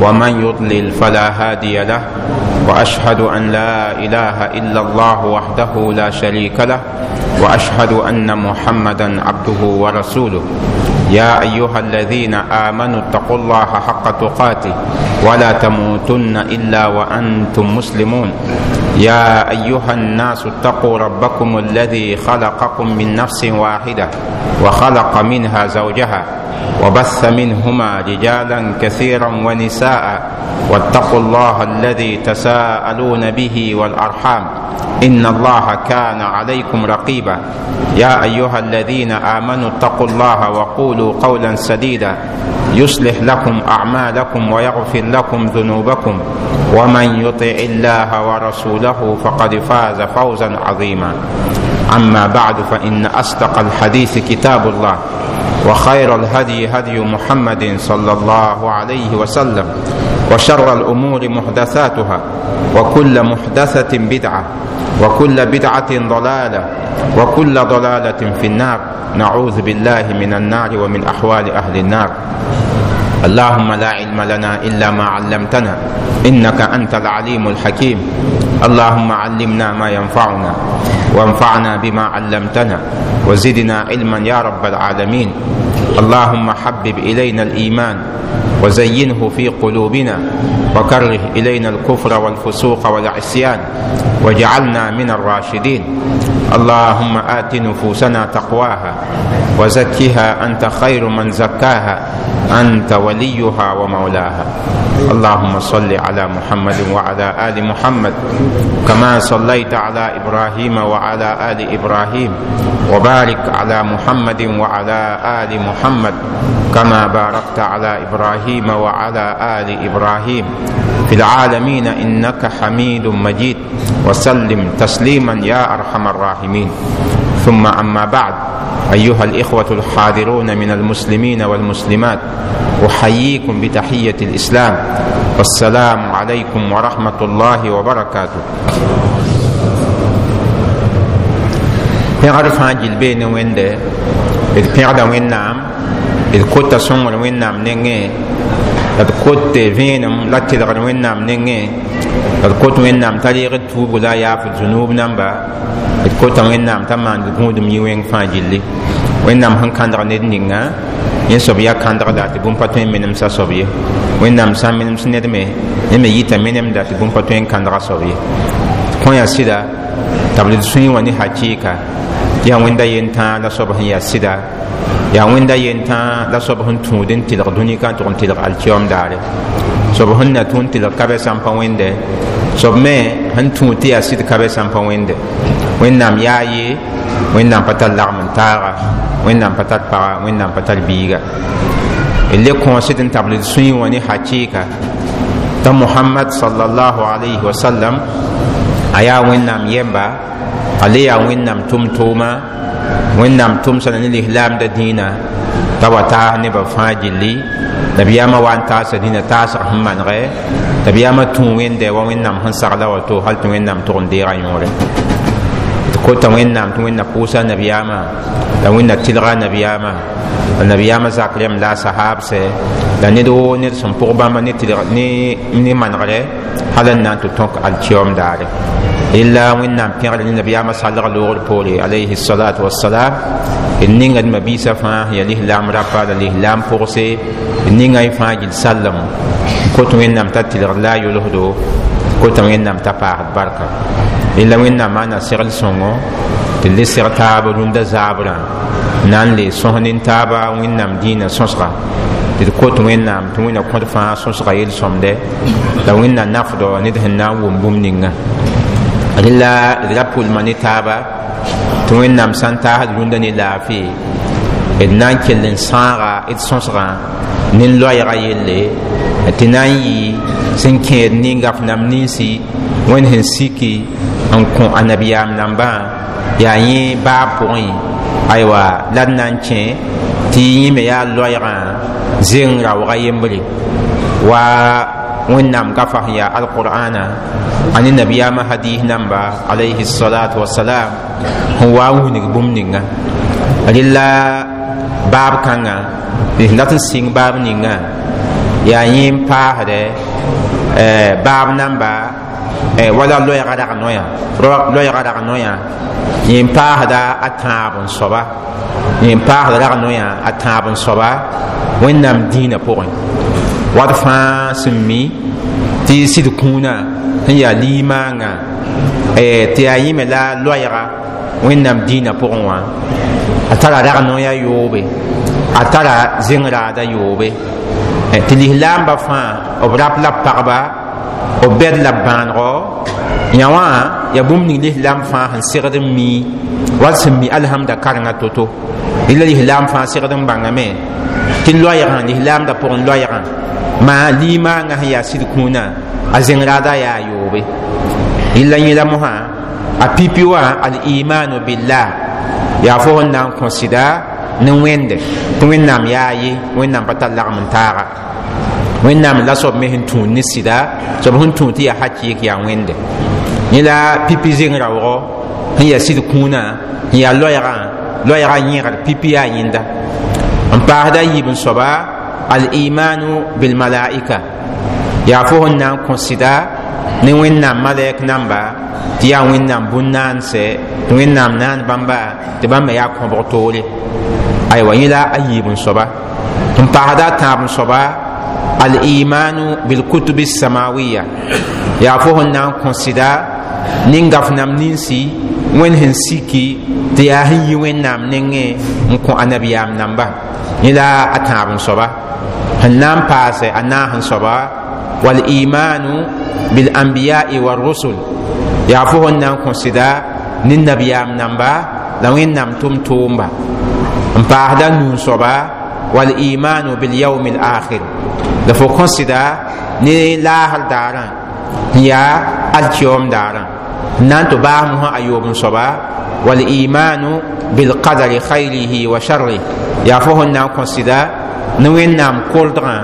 ومن يضلل فلا هادي له، واشهد ان لا اله الا الله وحده لا شريك له، واشهد ان محمدا عبده ورسوله. يا ايها الذين امنوا اتقوا الله حق تقاته ولا تموتن الا وانتم مسلمون. يا ايها الناس اتقوا ربكم الذي خلقكم من نفس واحده وخلق منها زوجها وبث منهما رجالا كثيرا ونساء، واتقوا الله الذي تساءلون به والارحام ان الله كان عليكم رقيبا. يا ايها الذين امنوا اتقوا الله وقولوا قولا سديدا يصلح لكم اعمالكم ويغفر لكم ذنوبكم، ومن يطع الله ورسوله فقد فاز فوزا عظيما. اما بعد، فان اصدق الحديث كتاب الله، وخير الهدي هدي محمد صلى الله عليه وسلم، وشر الامور محدثاتها، وكل محدثه بدعه، وكل بدعه ضلاله، وكل ضلاله في النار. نعوذ بالله من النار ومن احوال اهل النار. اللهم لا علم لنا الا ما علمتنا انك انت العليم الحكيم. اللهم علمنا ما ينفعنا، وانفعنا بما علمتنا، وزدنا علما يا رب العالمين. اللهم حبب الينا الايمان وزينه في قلوبنا، وكره الينا الكفر والفسوق والعصيان، واجعلنا من الراشدين. اللهم ات نفوسنا تقواها وزكها انت خير من زكاها، انت وليها ومولاها. اللهم صل على محمد وعلى ال محمد كما صليت على ابراهيم وعلى ال ابراهيم، وبارك على محمد وعلى ال محمد كما باركت على ابراهيم وعلى ال ابراهيم في العالمين انك حميد مجيد، وسلم تسليما يا ارحم الراحمين. ثم اما بعد، ايها الاخوه الحاضرون من المسلمين والمسلمات، احييكم بتحيه الاسلام، والسلام عليكم ورحمه الله وبركاته. Pẽgr fãa gill bee ne Wẽnde. D pẽgda Wẽnnaam, d kota sõngr Wẽnnaam nengẽ, la d kot vẽenem la tɩlgr Wẽnnaam nengẽ, la d kot Wẽnnaam t'a reeg d tuubg la a yaaf d zunub namba. D kota Wẽnnaam t'a maand gũudum yɩ wẽng fãa gilli. Wẽnnaam sẽn kãndg ned ninga, yẽ soab yaa kãndgda tɩ bũmb pa tõe n menemsa soab ye. Wẽnnaam sã n menems ned me, yẽ me yita menemda tɩ bũmb pa tõe n kãndga soab ye. Kõ yaa sɩda t'a b d sũyẽ wã ne hakɩɩka tɩ yaa Wẽnda yen-tãa la soab sẽn yaa sɩda, yaa Wẽnda yen-tãa la soab sẽn tũud n tɩlg dũni ka n tʋg n tɩlg alkiyoom daare. Soab sẽn na tũ n tɩlg ka bɛ sã n pa Wẽnde, soab me sẽn tũud tɩ yaa sɩd ka bɛ sã n pa Wẽnde. Wẽnnaam yaa ye, Wẽnnaam pa tar lagm n taaga, Wẽnnaam pa tar paga, Wẽnnaam pa tar biiga. D le kõosd n tabl d sũyẽ wã ne hakɩɩka t'a Mohamad sallallahu alayhi wa sallam a yaa Wẽnnaam yɛmba, a le yaa Wẽnnaam tʋm-tʋʋma. Wẽnnaam tʋmsa ne lislaamda dĩinã t'a wa taas nebã fãa gilli. Nabiyaamã wa n taasa dĩnã taasg sẽn manegɛ. Nabiyaamã tũ Wẽnde wa Wẽnnaam sẽn sagla wato, hal tɩ Wẽnnaam tʋg n deega yõore. D kota Wẽnnaam tɩ Wẽnna pʋʋsa nabiyaamã, la Wẽnna tɩlga nabiyaamã, la nabiyaamã zak rẽmb la a sahaabsɛ, la ned woo ned sẽn pʋg bãmba ne tɩlg ne manegrɛ hal n na n tɩ tõk alkiyoom daare. Illa Wẽnnaam pẽgr ne nabiyaamã salg loogr poore alayhi salatu wassalam. D ninga d mabiisã fãa sẽn yaa lislaam rapa la lislaam pʋgse, d ninga y fãa gill sallem n kot Wẽnnaam t'a tɩlgd la a yʋlsdo, kota Wẽnnaam t'a paasd barka. Illa Wẽnnaam maana segl sõngo tɩ le seg taab rũndã zaabrã na n le sõs nin-taaba Wẽnnaam dĩinã sõsga. Tɩ d kot Wẽnnaam tɩ Wẽnna kõt fãa sõsga yel-sõmde, la Wẽnna nafdɔ ned sẽn na n wʋm bũmb ninga. Rela d ra pʋlma ne taaba tɩ Wẽnnaam sã n taasd rũndã ne laafɩ, d na n kell n sãaga d sõsgã ne loɛɛga yelle tɩ na n yɩ sẽn kẽed ninga f nam ninsi Wẽnd sẽn siki n kõ a nabiyaam nambã yaa yẽ baab pʋgẽ. Aywa, la d na n kẽ tɩ yẽ me yaa loɛɛgã zeng raooga yembre wa Wẽnnaam gafa sẽn yaa alqur'ana a ne nabiyaamã hadis namba alayhi salatu wasalam sẽn wa n wilg bũmb ninga. Rela baab kãngã d sẽn dat n sɩng baab ninga Yaa yẽ n paasdɛ baab namba wala loɛɛga rag noyã, loɛɛga rag noyã yẽ n paasda a tãab n soaba, yẽ n paasda rag noyã a tãab n soaba Wẽnnaam dĩinã pʋgẽ. Wat fãa sẽn mi tɩ sɩd kũunã sẽn yaa limaangã tɩ yaa yẽ me la loɛɛga Wẽnnaam dĩinã pʋgẽ wã, a tara rag noyã yoobe, a tara zẽng-raada yoobe, tɩ lislaamba fãa b rap la pagba, b bɛd la bãanego yã wã. Yaa bũmb ning lislaam fãa sẽn segd n mi, wall sẽn mi alhamda karengã to-to. Rɩla lislaam fãa segd n bãngame tɩ loɛɛgã lislaamda pʋgẽ loɛɛgã maa limaangã sẽn yaa sɩd kũunã a zẽng-raada yaa yoobe. Rɩla yẽla mosã a pipi wã al-imanu billah, yaa fo sẽn na n kõ sɩda ne Wẽnde tɩ Wẽnnaam yaa ye, Wẽnnaam pa tar lagm n taaga, Wẽnnaam la soab me sẽn tũud ne sɩda, soab sẽn tũud tɩ yaa hakɩɩk yaa Wẽnde. Yẽ la pipi zeng raoogɔ sẽn yaa sɩd kũunã sẽn yaa loɛɛgã, loɛɛgã yẽgr pipi yaa yẽnda. N paasda yiib n soaba al-imanu bilmalaika, yaa fo sẽn na n kõ sɩda ne Wẽnnaam malɛk namba tɩ yaa Wẽnnaam bũn-naandsɛ, tɩ Wẽnnaam naan bãmba tɩ bãmb me yaa kõbg toore. Aywa, yẽ la a yiib n soaba. N paasda a tãab n soaba al-imanu bilkutubi samawiya, yaa fo sẽn na n kõ sɩda nin-gaf nam ninsi Wẽnd sẽn siki tɩ yaa sẽn yi Wẽnnaam nengẽ n kõ anabiyaam namba. Yẽ la a tãab n soaba. Sẽn na n paase a naas n soaba walimanu bilanbiyai warusul, yaa fo sẽn na n kõ sɩda ne nabiyaam namba la Wẽnnaam tʋm-tʋʋmba. N paasda nuu n soaba walimanu bilyaumi lakhir, la fo kõ sɩda ne laasr daarã n yaa alkiyoom daarã. N na n tɩ baas mosã a yoob n soaba walimanu bilqadari khayrihi wa sharrih, yaa fo sẽn na n kõ sɩda ne Wẽnnaam koldgã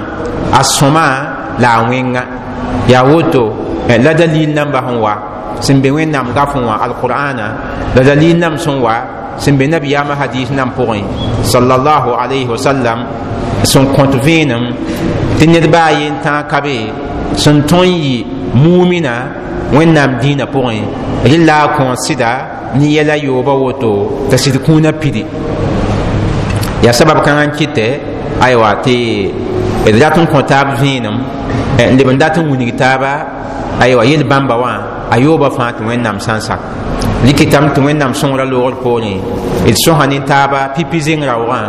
a sõma la a wẽnga. Yaa woto la dalil namba sẽn wa sẽn be Wẽnnaam gafẽ wã alqur'ana, la dalil nam sẽn wa sẽn be nabiyaamã hadis nam pʋgẽ sallallahu alayhi wa sallam sẽn kõt vẽenem tɩ ned baa yen tãag ka be sẽn tõe n yɩ mumina Wẽnnaam dĩinã pʋgẽ rɩla a kõ sɩda ne yɛla yooba woto t'a sɩd kũunã pidi. Yaa sabab kãngã n kɩtɛ aywa tɩ d rat n kõ taab vẽenem n leb n dat n wilg taaba aywa yel bãmba wã a yooba fãa tɩ Wẽnnaam sã n sak rɩkɩtame tɩ Wẽnnaam sõngrã loogr poorẽ d sõsa ne taaba pipi zeng raoogã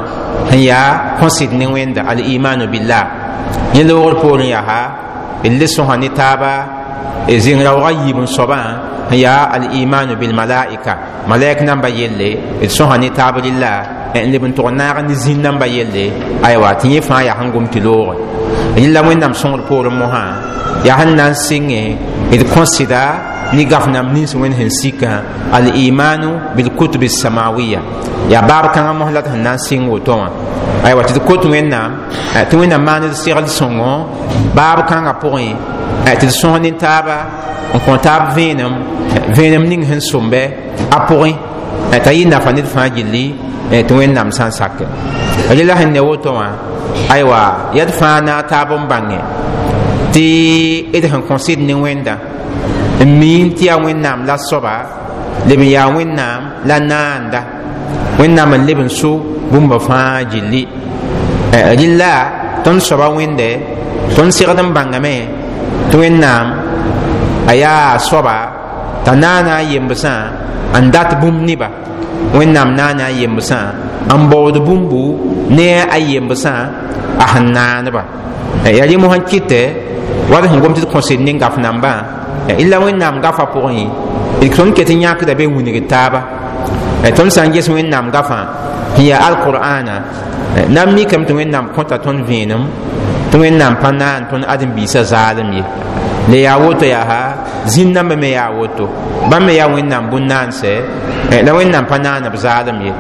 sẽn yaa kõ-sɩd ne Wẽnda al-imanu billah. Yẽ loogr poorẽ yaa d le sõsa ne taaba zeng raoogã yiib n soabã sẽn yaa al-imanu bilmalaika, malaik namba yelle, d sõsa ne taab rɩlla n leb n tʋg naag ne zĩn namba yelle. Aywa, tɩ yẽ fãa yaa sẽn gom tɩ looge rɩlla Wẽnnaam sõngr poorẽ mosã yaa sẽn na n sɩngẽ d kõ sɩda ne gaf nam nins Wẽnd sẽn sikã al-imanu bilkutubi samawiya. Yaa baab kãngã mos la d sẽn na n sɩng woto wã. Aywa, tɩ d kot Wẽnnaam tɩ Wẽnnaam maan d segl sõngo baab kãngã pʋgẽ tɩ d sõs ne taaba n kõ taab vẽenem, vẽenem ning sẽn sõmbɛ a pʋgẽ t'a yɩ nafa ned fãa gilli tɩ Wẽnnaam sã n sake rela sẽn ne woto wã. Aywa, yaa d fãa naag taab n bãnge tɩ d sẽn kõ sɩd ne Wẽnda n miin tɩ yaa Wẽnnaam la soaba leb n yaa Wẽnnaam la naanda, Wẽnnaam n leb n so bũmba fãa gilli. Rɩla tõnd soaba Wẽnde tõnd segd n bãngame tɩ Wẽnnaam a yaa soaba t'a naana a yembsã n dat bũmb neba, Wẽnnaam naana a yembsã n baood bũmbu ne a yembsã a sẽn naaneba. Yaa rẽ mosã n kɩtɛ wa d sẽn gom tɩ d kõsd ne gaf nambã illa Wẽnnaam gafã pʋgẽ tõnd ket n yãkda be wilg taaba. Tõnd sã n ges Wẽnnaam gafã sẽn yaa alqur'ana na n mikame tɩ Wẽnnaam kõta tõnd vẽenem tɩ Wẽnnaam pa naan tõnd ãdem-biisã zaalem ye. Le yaa woto yaa zĩn nambã me yaa woto, bãmb me yaa Wẽnnaam bũn-naansɛ la Wẽnnaam pa naan b zaalem ye.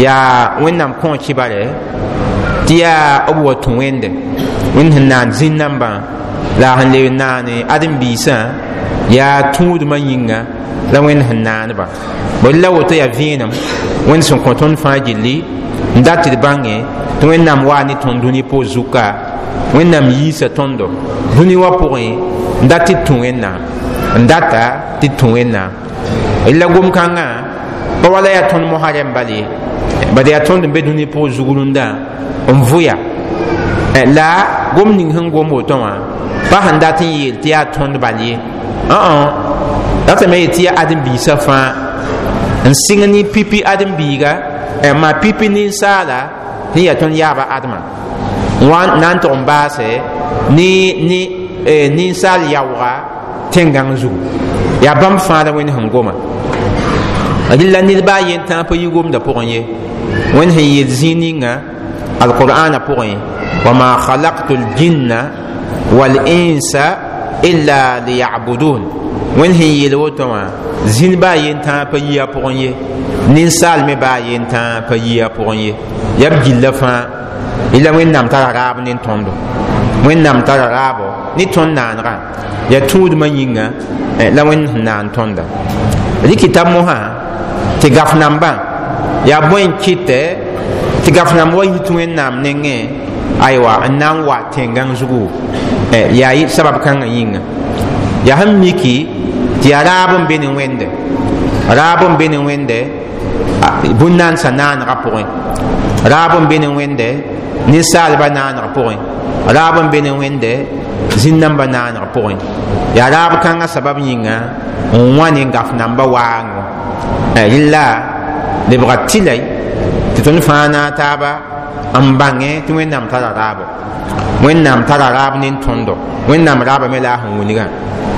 Yaa Wẽnnaam kõ kibare tɩ yaa b wa tũ Wẽnde, Wẽnd sẽn naan zĩn nambã la a sẽn leb naane ãdem-biisã yaa tũudmã yĩnga la Wẽnd sẽn naaneba bõe la woto yaa vẽenem Wẽnd sẽn kõ tõnd fãa gilli n dat tɩ d bãnge tɩ Wẽnnaam waa ne tõnd dũni poor zuka Wẽnnaam yiisa tõndo dũni wã pʋgẽ n dat tɩ d tũ Wẽnnaam, n data tɩ d tũ Wẽnnaam. La gom-kãngã pa wala yaa tõnd mosã rẽm bal ye, bad yaa tõnd n be dũni pʋg zug-rũndã n vʋya. La gom ning sẽn gom woto wã pa sẽn dat n yeel tɩ yaa tõnd bal ye, datame yet tɩ yaa ãdem-biisã fãa n sɩng ne pipi ãdem-biiga, maa pipi ninsaala sẽn yaa tõnd yaaba Adama wa na n tʋg n baase ne ninsaal yaooga tẽn-gãng zugu. Yaa bãmb fãa la Wẽnd sẽn goma. Rɩla ned baa yen tãag pa yi gomda pʋgẽ ye. Wẽnd sẽn yeel zĩig ninga alqur'ana pʋgẽ: wama khalaqtu ljinna walinsa illa liyabudun. Wẽnd sẽn yeel woto wã, zĩn baa yen tãag pa yi a pʋgẽ ye, ninsaal me baa yen tãag pa yi a pʋgẽ ye, yaa b gilla fãa. Ila Wẽnnaam tara raab ne tõndo, Wẽnnaam tara raabo ne tõnd naanegã, yaa tũudmã yĩnga la Wẽnd sẽn naan tõnda. Rɩkɩta mosã tɩ gaf nambã yaa bõe n kɩtɛ tɩ gaf namba wa yit Wẽnnaam nengẽ, aywa, n na n wa tẽn-gãng zugu? Yaa sabab kãngã yĩnga. Yaa sẽn miki tɩ yaa raab n be ne Wẽnde, raab n be ne Wẽnde bũn-naandsã naanegã pʋgẽ, raab n be ne Wẽnde ninsaalbã naaneg pʋgẽ, raab n be ne Wẽnde zĩn-nambã naaneg pʋgẽ. Yaa raab kãngã sabab yĩnga n wã ne gaf nambã waango. Rɩla lebga tɩlay tɩ tõnd fãa naag taaba n bãngẽ tɩ Wẽnnaam tara raabo, Wẽnnaam tara raab ne tõndo. Wẽnnaam raaba me la a sẽn wilgã,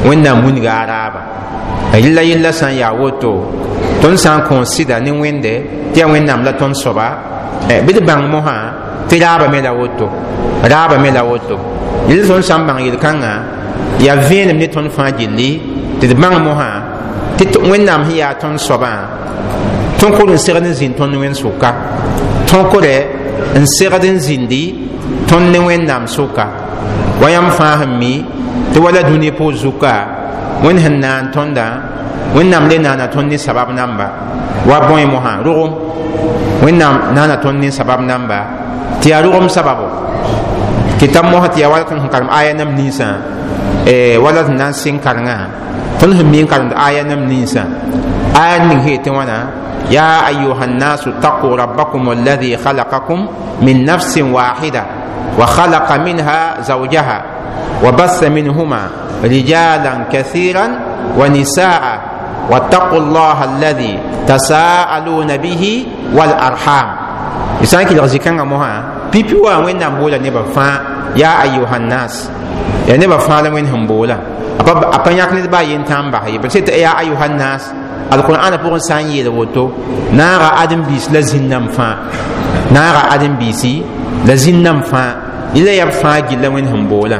Wẽnnaam wilga a raaba. Rɩla yella sã n yaa woto, tõnd sã n kõo sɩda ne Wẽnde tɩ yaa Wẽnnaam la tõnd soaba, bɩ d bãng mosã tɩ raaba me la woto, raaba me la woto. Yel tõnd sã n bãng yel-kãngã yaa vẽenem ne tõnd fãa gilli tɩ d bãng mosã tɩ Wẽnnaam sẽn yaa tõnd soabã, tõkd n segd n zĩnd tõnd Wẽnd sʋka, tõkdɛ n segd n zĩndi tõnd ne Wẽnnaam sʋka. Wa yãmb fãa sẽn mi tɩ wala dũni pʋg zuka, Wẽnd sẽn naan tõndã, Wẽnnaam le naana tõnd ne sabab namba wa bõe mosã rogem. Wẽnnaam naana tõnd ne sabab namba tɩ yaa rogem sababo. Kɩta mosã tɩ yaa wala tõnd sẽn karem aya nam ninsã, wala sẽn na n sɩng karengã, tõnd sẽn mi n karemd aya nam ninsã, aya ning sẽn yetɩ wãna: يا أيها الناس اتقوا ربكم الذي خلقكم من نفس واحدة وخلق منها زوجها وبث منهما رجالا كثيرا ونساء واتقوا الله الذي تساءلون به والأرحام. إسان كي لغزي موها بيبي وين نمبولا نبا فا يا أيها الناس، يا نبا فا وين همبولا أبا ياك نبا ينتام بحي بس يا أيها الناس. القرآن pʋgẽ sã n yeel woto, naaga ãdem-biis la zĩn-nãmb fãa, naaga ãdem-biisi la zĩn-nãmb fãa, yẽla yaa b fãa gilla Wẽnd sẽn boolã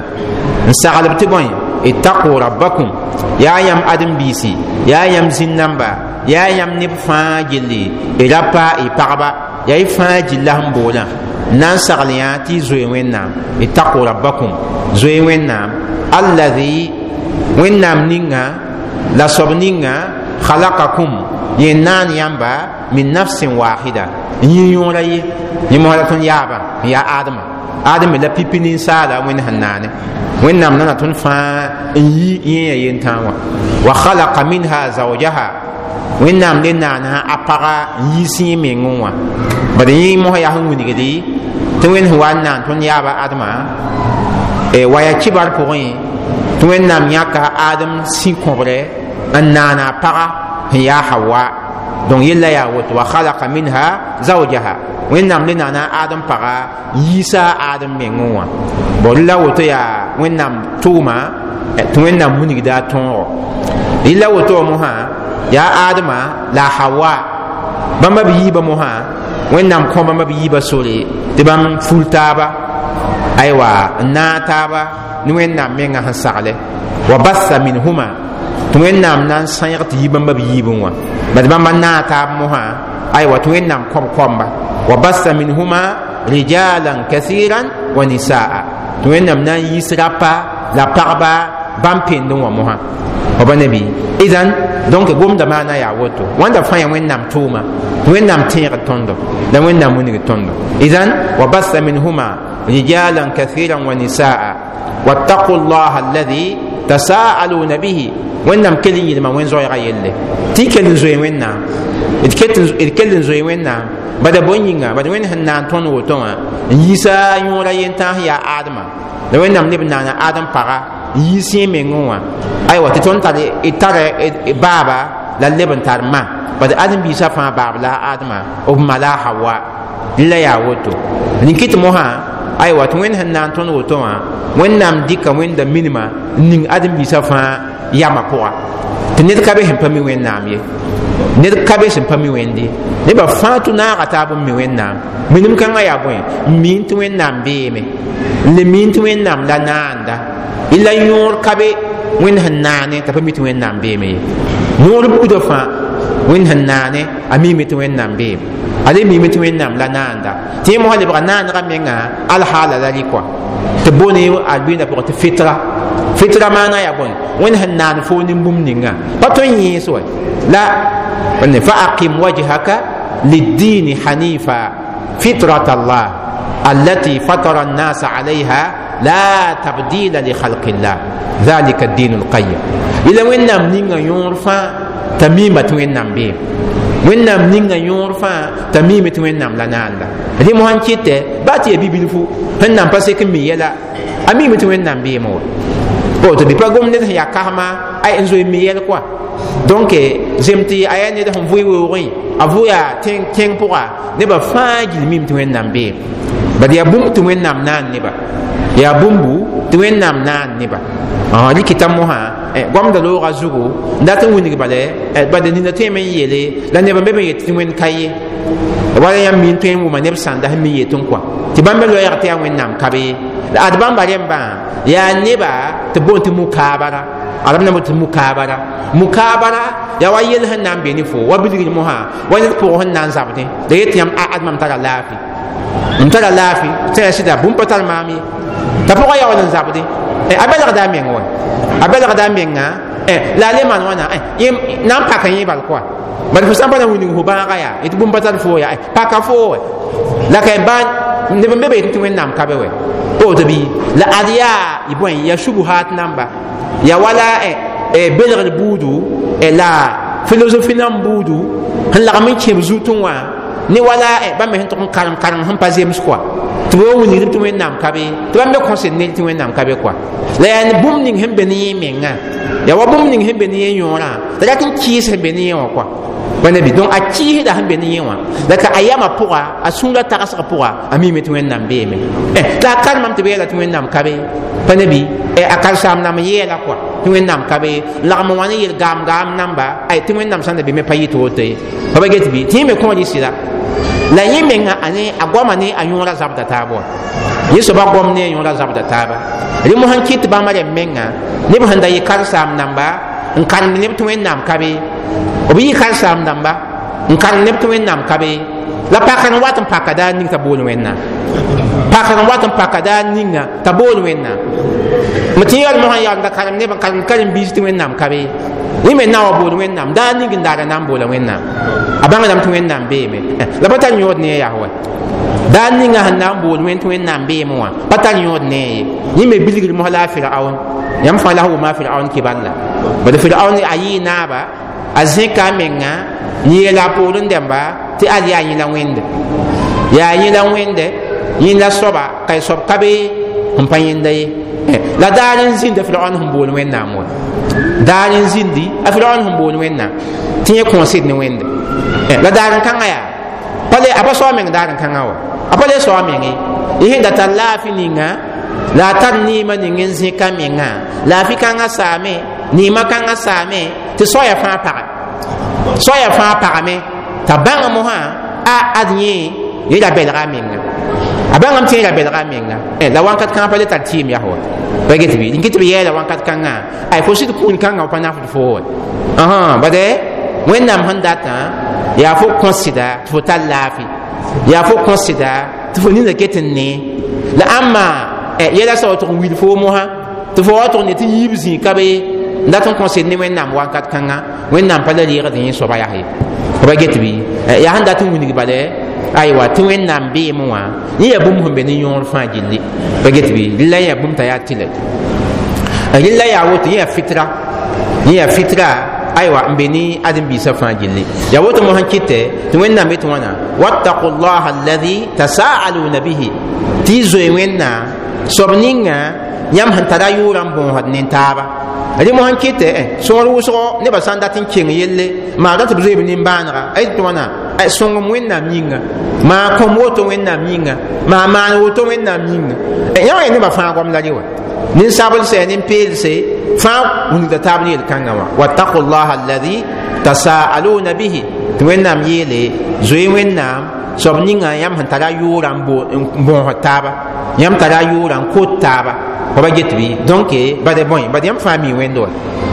n saglb tɩ bõe: ittaqu rabbakum, yaa yãmb ãdem-biisi, yaa yãmb zĩn-nãmba, yaa yãmb neb fãa gilli, y ra pa y pagba, yaa y fãa gilla sẽn boolã n na n sagl yã tɩ y zoe Wẽnnaam. Ittaqu rabbakum, zoe Wẽnnaam, alladhi, Wẽnnaam ninga la soab ninga, khalaqakum, yẽ naan yãmba, min nafsin wahida, n yĩ yõora ye, yẽ mosã la tõnd yaabã n yaa Adama. Adama la pipi ninsaala Wẽnd sẽn naane. Wẽnnaam nana tõnd fãa n yi yẽ ya yentãag wã. Wa khalaqa minha zawjaha, Wẽnnaam le naana a paga n yiis yẽ mengẽ wã. Bad yẽ mosã yaa sẽn wilgdi tɩ Wẽnd sẽn wa n naan tõnd yaaba Adama wa yaa kibar pʋgẽ, tɩ Wẽnnaam yãka Adem sĩ-kõbrɛ n naana a paga sẽn yaa Hawa. Donc yella yaa woto: wa khalaqa minha zawjaha, Wẽnnaam le naana Adem paga n yiisa Adem mengẽ wã. Bon la woto yaa Wẽnnaam tʋʋma tɩ Wẽnnaam wilgda a tõogo. Yella woto wã mosã yaa Adama la Hawa, bãmba b yiibã mosã, Wẽnnaam kõ bãmba b yiibã sore tɩ bãmb ful taaba, aywa, n naag taaba ne Wẽnnaam mengã sẽn sagle. Wa bassa minhuma, tɩ Wẽnnaam na n sãyg tɩ yi bãmba b yiibẽ wã, bad bãmba naag taab mosã, aywa, tɩ Wẽnnaam kõb koamba. Wa bassa minhuma rijalan kathiran wa nisaa, tɩ Wẽnnaam na n yiis rapa la pagba bãmb pendẽ wã mosã. Wa ba nabi idan Donc gomda maana yaa woto wãnda fãa yaa wẽnnaam tʋʋma wẽnnaam tẽegd tõndo la wẽnnaam wilgd tõndo idan wa batha minhuma rijalan kathiran wa nisaa wattaqu llaha alladhi tasaaluna bihi wẽnnaam kell n yɩlma wẽn-zoɛɛga yelle tɩ kell n zoe wẽnnaam d kell n zoe wẽnnaam bada bõe yĩnga bad wẽnd sẽn naan tõnd woto wã n yiisa yõora yentãas yaa aadma la wẽnnaam leb n naana aadem paga n yiis yẽ mengẽ wã aywa tɩ tõnd tar d tara baaba la leb n tar ma bad ãdem-biisã fãa baab la a aadma b ma la a hawa la yaa woto rĩn-kɩt mosã aywa tɩ wẽnd sẽn naan tõnd woto wã wẽnnaam dɩka wẽnda minima n ning ãdem-biisã fãa yamã pʋga tɩ ned ka be sẽn pa mi wẽnnaam ye ned ka be sẽn pa mi wẽnd ye nebã fãa tʋ naaga taab n mi wẽnnaam minim kãngã yaa bõe n miin tɩ wẽnnaam beeme n le miin tɩ wẽnnaam la naanda la yõor ka be wẽnd sẽn naane t'a pa mi tɩ wẽnnaam beeme ye yõor buudã fãa wẽnd sẽn naane a miime tɩ wẽnnaam beem a le miime tɩ wẽnnaam la naanda tɩ yẽ mosã lebga naanegã menga alhaala la rɩ kɔa tɩ bone albĩndã pʋgẽ tɩ fitra fitra maana yaa bõe wẽnd sẽn naan foo nin-bũmb ninga pa tõe n yẽes wɛ la fa aqim wajhaka liddini hanifa fitrat allah allati fatara الناس عليها لا تبديل لخلق الله ذلك الدين القيم إلى وين نام نينغا يور فا تميمة وين نام بي وين نام نينغا يور فا تميمة وين نام لا ناندا دي مهان كيتة باتي بيبلفو هن نام باسك ميلا أميمة وين نام بي مو o tɩ bɩ pa gom ned sẽn yaa kasma ay n zoe mi yɛl kɔa donc zem tɩ a yaa ned sẽn vʋɩ weoogẽ a vʋ yaa tẽng pʋga nebã fãa gil mim tɩ wẽnnaam beem bad yaa bũmb tɩ wẽnnaam naan neba yaa bũmbu tɩ wẽnnaam naan neba rɩkɩta mosã goamda loogã zugu n dat n wilg bale bad nina tõeme n yeele la neb n be me yet tɩ wẽnd ka ye wala yãmb mi n tõe n wʋma neb sãnda sẽn mi yet n kɔa tɩ bãmb me loɛɛg tɩ yaa wẽnnaam ka be ye la ad bãmba rẽmbã yaa neba tɩ boond tɩ mukaabara arab na tɩ mukaabara mukaabara yaa wa yel sẽn na n be ne fo wa bilgr mosã wa ned pʋgẽ sẽn na n zabdẽ la yet yãmb ad mam tara laafɩ m tara laafɩ tɩ yaa sɩda bũmb pa tar maam ye t'a pʋgã yaool n zabdẽ a belgda a meng wa a belgda a menga la a le maan wãna na n paka yẽ bal kɔa bad fo sã n pa na wilg fo bãaga yaa yetɩ bũmb pa tar foo yaa paka foo wɛ la ka ba neb n be be yetɩ tɩ wẽnnaam ka be wɛ woto bɩ la ad yaa y bõe yaa subuhat namba yaa wala belgr buudu la philosophie nan buudu sẽn lagm n kẽb zutẽ wã ne wala bãmb me sẽn tʋg n karem karem sẽn pa zems kɔa tɩ b wa wilgd tɩ wẽnnaam ka be tɩ bãmb me kõsd ned tɩ wẽnnaam ka be kɔa la yaa bũmb ning sẽn be ne yẽ mengã yaa wa bũmb ning sẽn be ne yẽ yõorã t'a rat n kɩɩs sẽn be ne yẽ wã kɔa wẽnda bɩ donc a kɩɩsda sẽn be ne yẽ wã la ka a yamã pʋga a sũurã tagsg pʋga a miime tɩ wẽnnaam beeme la a karemame tɩ b yeela tɩ wẽnnaam ka be pa ne bɩ a karsaam nam yeela kɔa tɩ wẽnnaam ka be lagm wã ne yel gaam gaam namba ay tɩ wẽnnaam sãn da be me pa yɩ tɩ woto ye pa ba get bɩ tɩ yẽ me kõor y sɩda la yẽ menga a ne a goama ne a yõora zabda taab wã yẽ soaba goam ne a yõora zabda taaba rẽ mosã n kɩt tɩ bãmba rẽmb menga neb sẽn da yɩ karsaam namba n karemd neb tɩ wẽnnaam ka be b yɩ karsaam dãmba n karem neb tɩ wẽnnaam ka be la pakr n wat n paka daar ning t'a bool wẽnnaam pakr n wat n paka daar ninga t'a bool wẽnnaam m tɩ yaool mosã yaool n da karem neb n karem karen-biis tɩ wẽnnaam ka be yẽ me na wa bool wẽnnaam daar ning n daara na n boola wẽnnaam a bãngdame tɩ wẽnnaam beeme la pa tar yõod ne a yaa wa daar ninga sẽn na n bool wẽnd tɩ wẽnnaam beeme wã pa tar yõod ne ye yẽ me bilgr mos la a firaoon yãmb fãa la sẽn wʋma a firaoon kibal la bad firaoon a yɩɩ naaba a zẽka a menga n yeela a poorẽ dẽmba tɩ ad yaa yẽ la wẽnde yaa yẽ la wẽnde yẽ la soaba ka soab ka be sẽn pa yẽnda ye la daar n zĩnd a firaoon sẽn bool wẽnnaam wa daar n zĩndi a firaoon sẽn bool wẽnnaam tɩ yẽ kõosd ne wẽnde la daar n kãngã yaa pa le a pa soa meng daar n kãngã wa a pa le soa meng ye yẽ sẽn da tar laafɩ ninga la a tar neemã ning n zẽka mengã laafɩ kãngã saame neemã kãngã saame tɩ soaya fãa pagɛ soaya fãa pagame t'a bãng mosã a ad yẽ yẽ ra belga a menga a bãngame tɩ yẽ ra belga a menga la wãnkat kãngã pa le tar tɩɩm yaa wa pa get bɩ n kɩ tɩ b yɛɛla wãnkat kãngã ay fo sɩd kũun kãngã pa nafd fo wa bade wẽnnaam sẽn datã yaa fo kõsda tɩ fo tar laafɩ yaa fo kõsda tɩ fo ninda ket n nee la ãmma yɛla sa wa tʋg n wil foo mosã tɩ fo wa tʋg ne tɩ yiib zĩ ka be n dat n kõsd ne Wẽnnaam wakat kãnga Wẽnnaam pa la reegd yẽ soaba yaa ye ba get bɩ yaa sẽn dat n wilg bala aywa tɩ Wẽnnaam beeme wã yẽ yaa bũmb sẽn be ne yõor fãa gilli ba get bɩ rɩla yaa bũmb t'a yaa tɩlɛ rɩla yaa woto yẽ yaa fitra yẽ yaa fitra aywa n be ne ãdem-biisã fãa gilli yaa woto mo sẽn kɩtɛ tɩ Wẽnnaam yetɩ wãna wattaqu llaha alladi tasaaluna bihi tɩ y zoe Wẽnnaam soab ninga yãmb sẽn tara yʋʋrã n bõosd nin-taaba rẽ mo sẽn kɩtɛ sõor wʋsgo nebã sã n dat n keng yelle maa ra tɩ b zoe b nimbãanega a yetɩ tɩ wãna sõngem Wẽnnaam yĩnga maa kõm woto Wẽnnaam yĩnga maa maan woto Wẽnnaam yĩnga yã wã nebã fãa goam la rɩ wa ninsablsɛ nin-peelse fãa wilgda taab ne yel-kãngã wã wattaqu llaha alladi tasaaluna bihi tɩ Wẽnnaam yeele zoe Wẽnnaam soab ninga yãmb sẽn tara yʋʋrã n bõosd taaba yãmb tara yʋʋrã n kot taaba ba get bɩ donc bad bõe bad yãmb fãa mi wẽnd wa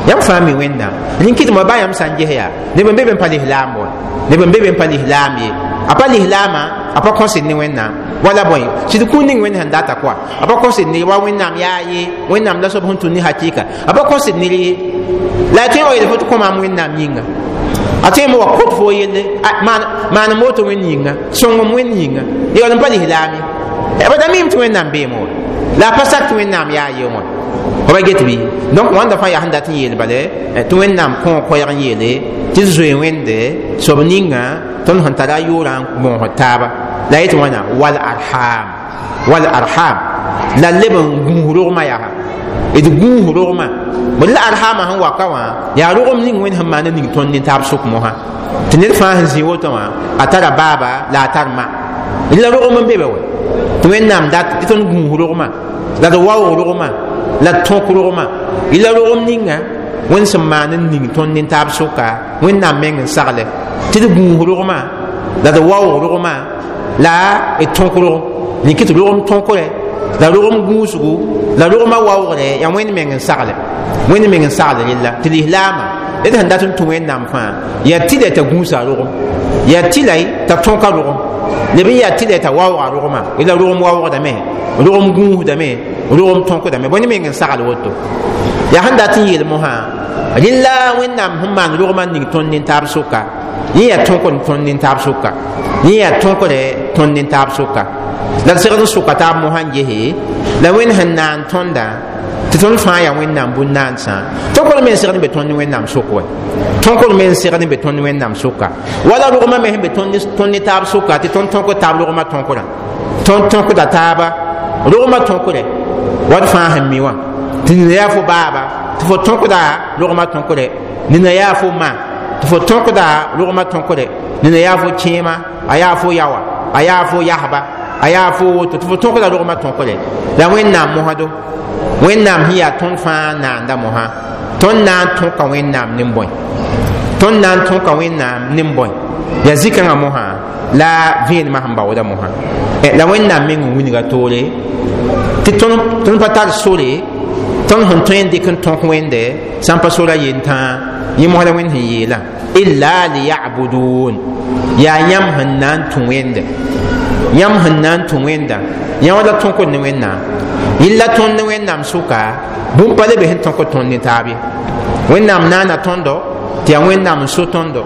yãmb fãa mi Wẽnnaam rẽn kɩtmã ba yãmb sã n ges yaa neb n be be n pa lislaam wa neb n be be n pa lislaam ye a pa lislaamã a pa kõsd ne Wẽnnaam wala bõe sɩd kũun ning Wẽnd sẽn data koa a pa kõsd ne wa Wẽnnaam yaa ye Wẽnnaam la soab sẽn tũn ne hakɩɩka a pa kõsd ne ye la a tõe wa yeel fo tɩ kõ maam Wẽnnaam yĩnga a tõe me wa kot fo yelle maanem woto Wẽnd yĩnga sõngem Wẽnd yĩnga yaool n pa lislaam ye ba da miime tɩ Wẽnnaam beeme wa la a pa sak tɩ Wẽnnaam yaa ye wã ba get bɩ donc wãnda fãa yaa sẽn dat n yeel bale tɩ Wẽnnaam kõ koɛɛg n yeele tɩ zoe Wẽnde soab ninga tõnd sẽn tara yʋʋrã n bõosd taaba la yetɩ wãna wal arham wal arham la leb n gũus rogmã yaa d gũus rogmã bd la arhama sẽn waka wã yaa rogem ning Wẽnd sẽn maan n ning tõnd nin-taab sʋk mosã tɩ ned fãa sẽn zĩ woto wã a tara baaba la a tar ma la rogem n be be wa tɩ Wẽnnaam dat tɩ tõnd gũus rogmã la d waoog rogmã la d tõk rogmã la rogem ninga Wẽnd sẽn maan n ning tõnd nin-taab sʋka Wẽnnaam meng n sagle tɩ d gũus rogmã la d waoog rogmã la d tõk rogem rẽn tɩ rogem tõkrɛ la rogem gũusgu la rogmã waoogrɛ yaa Wẽnd meng n sagle Wẽnd meng n sagle rella tɩ lislaamã d sẽn dat n tũ Wẽnnaam fãa yaa tɩlɛ t'a gũusa rogem yaa tɩlɛ t'a tõka rogem leb n yaa tɩlɛ t'a waooga rogmã la rogem waoogdame rogem gũusdame rogem tõkdame bõe ne meng n sagl woto yaa sẽn dat n yeel mosã rẽla Wẽnnaam sẽn maan rogmã ning tõnd nin-taab sʋka yẽ yaa tõkd tõnd nin-taab sʋka yẽ yaa tõkrɛ tõnd nin-taab sʋka la d segd n sʋka taab mosã n gese la Wẽnd sẽn naan tõnda tɩ tõnd fãa yaa Wẽnnaam bũn-naansã tõkd me n segd n be tõnd ne Wẽnnaam sʋk wa tõkd me n segd n be tõnd ne Wẽnnaam sʋka wala rogmã me sẽn be tõnd ne taab sʋka tɩ tõnd tõkd taab rogmã tõkrã tõnd tõkda taaba rogmã tõkrɛ wa d fãa sẽn mi wã tɩ nina yaa fo baaba tɩ fo tõkda rogmã tõkrɛ nina yaa fo ma tɩ fo tõkda rogmã tõkrɛ nina yaa fo kẽema a yaa fo yawa a yaa fo yasba a yaa fo woto tɩ fo tõkda rogmã tõkrɛ la Wẽnnaam mosdo Wẽnnaam sẽn yaa tõnd fãa naanda mosã tõnd na n tõka Wẽnnaam nin-bõe tõnd na n tõka Wẽnnaam nin-bõe yaa zĩ-kãngã mosã la vẽenemã sẽn baooda mosã la Wẽnnaam meng n wilga toore tɩ tõnd pa tar sore tõnd sẽn tõe n dɩk n tõk Wẽnde sã n pa sora yentãa yẽ mos la Wẽnd sẽn yeelã illa liyabudun yaa yãmb sẽn na n tũ Wẽnde yãmb sẽn na n tũ Wẽnda yã wã la tõkd ne Wẽnnaam yella tõnd ne Wẽnnaam sʋka bũmb pa le be sẽn tõkd tõnd ne taab ye Wẽnnaam naana tõndo tɩ yaa Wẽnnaam n so tõndo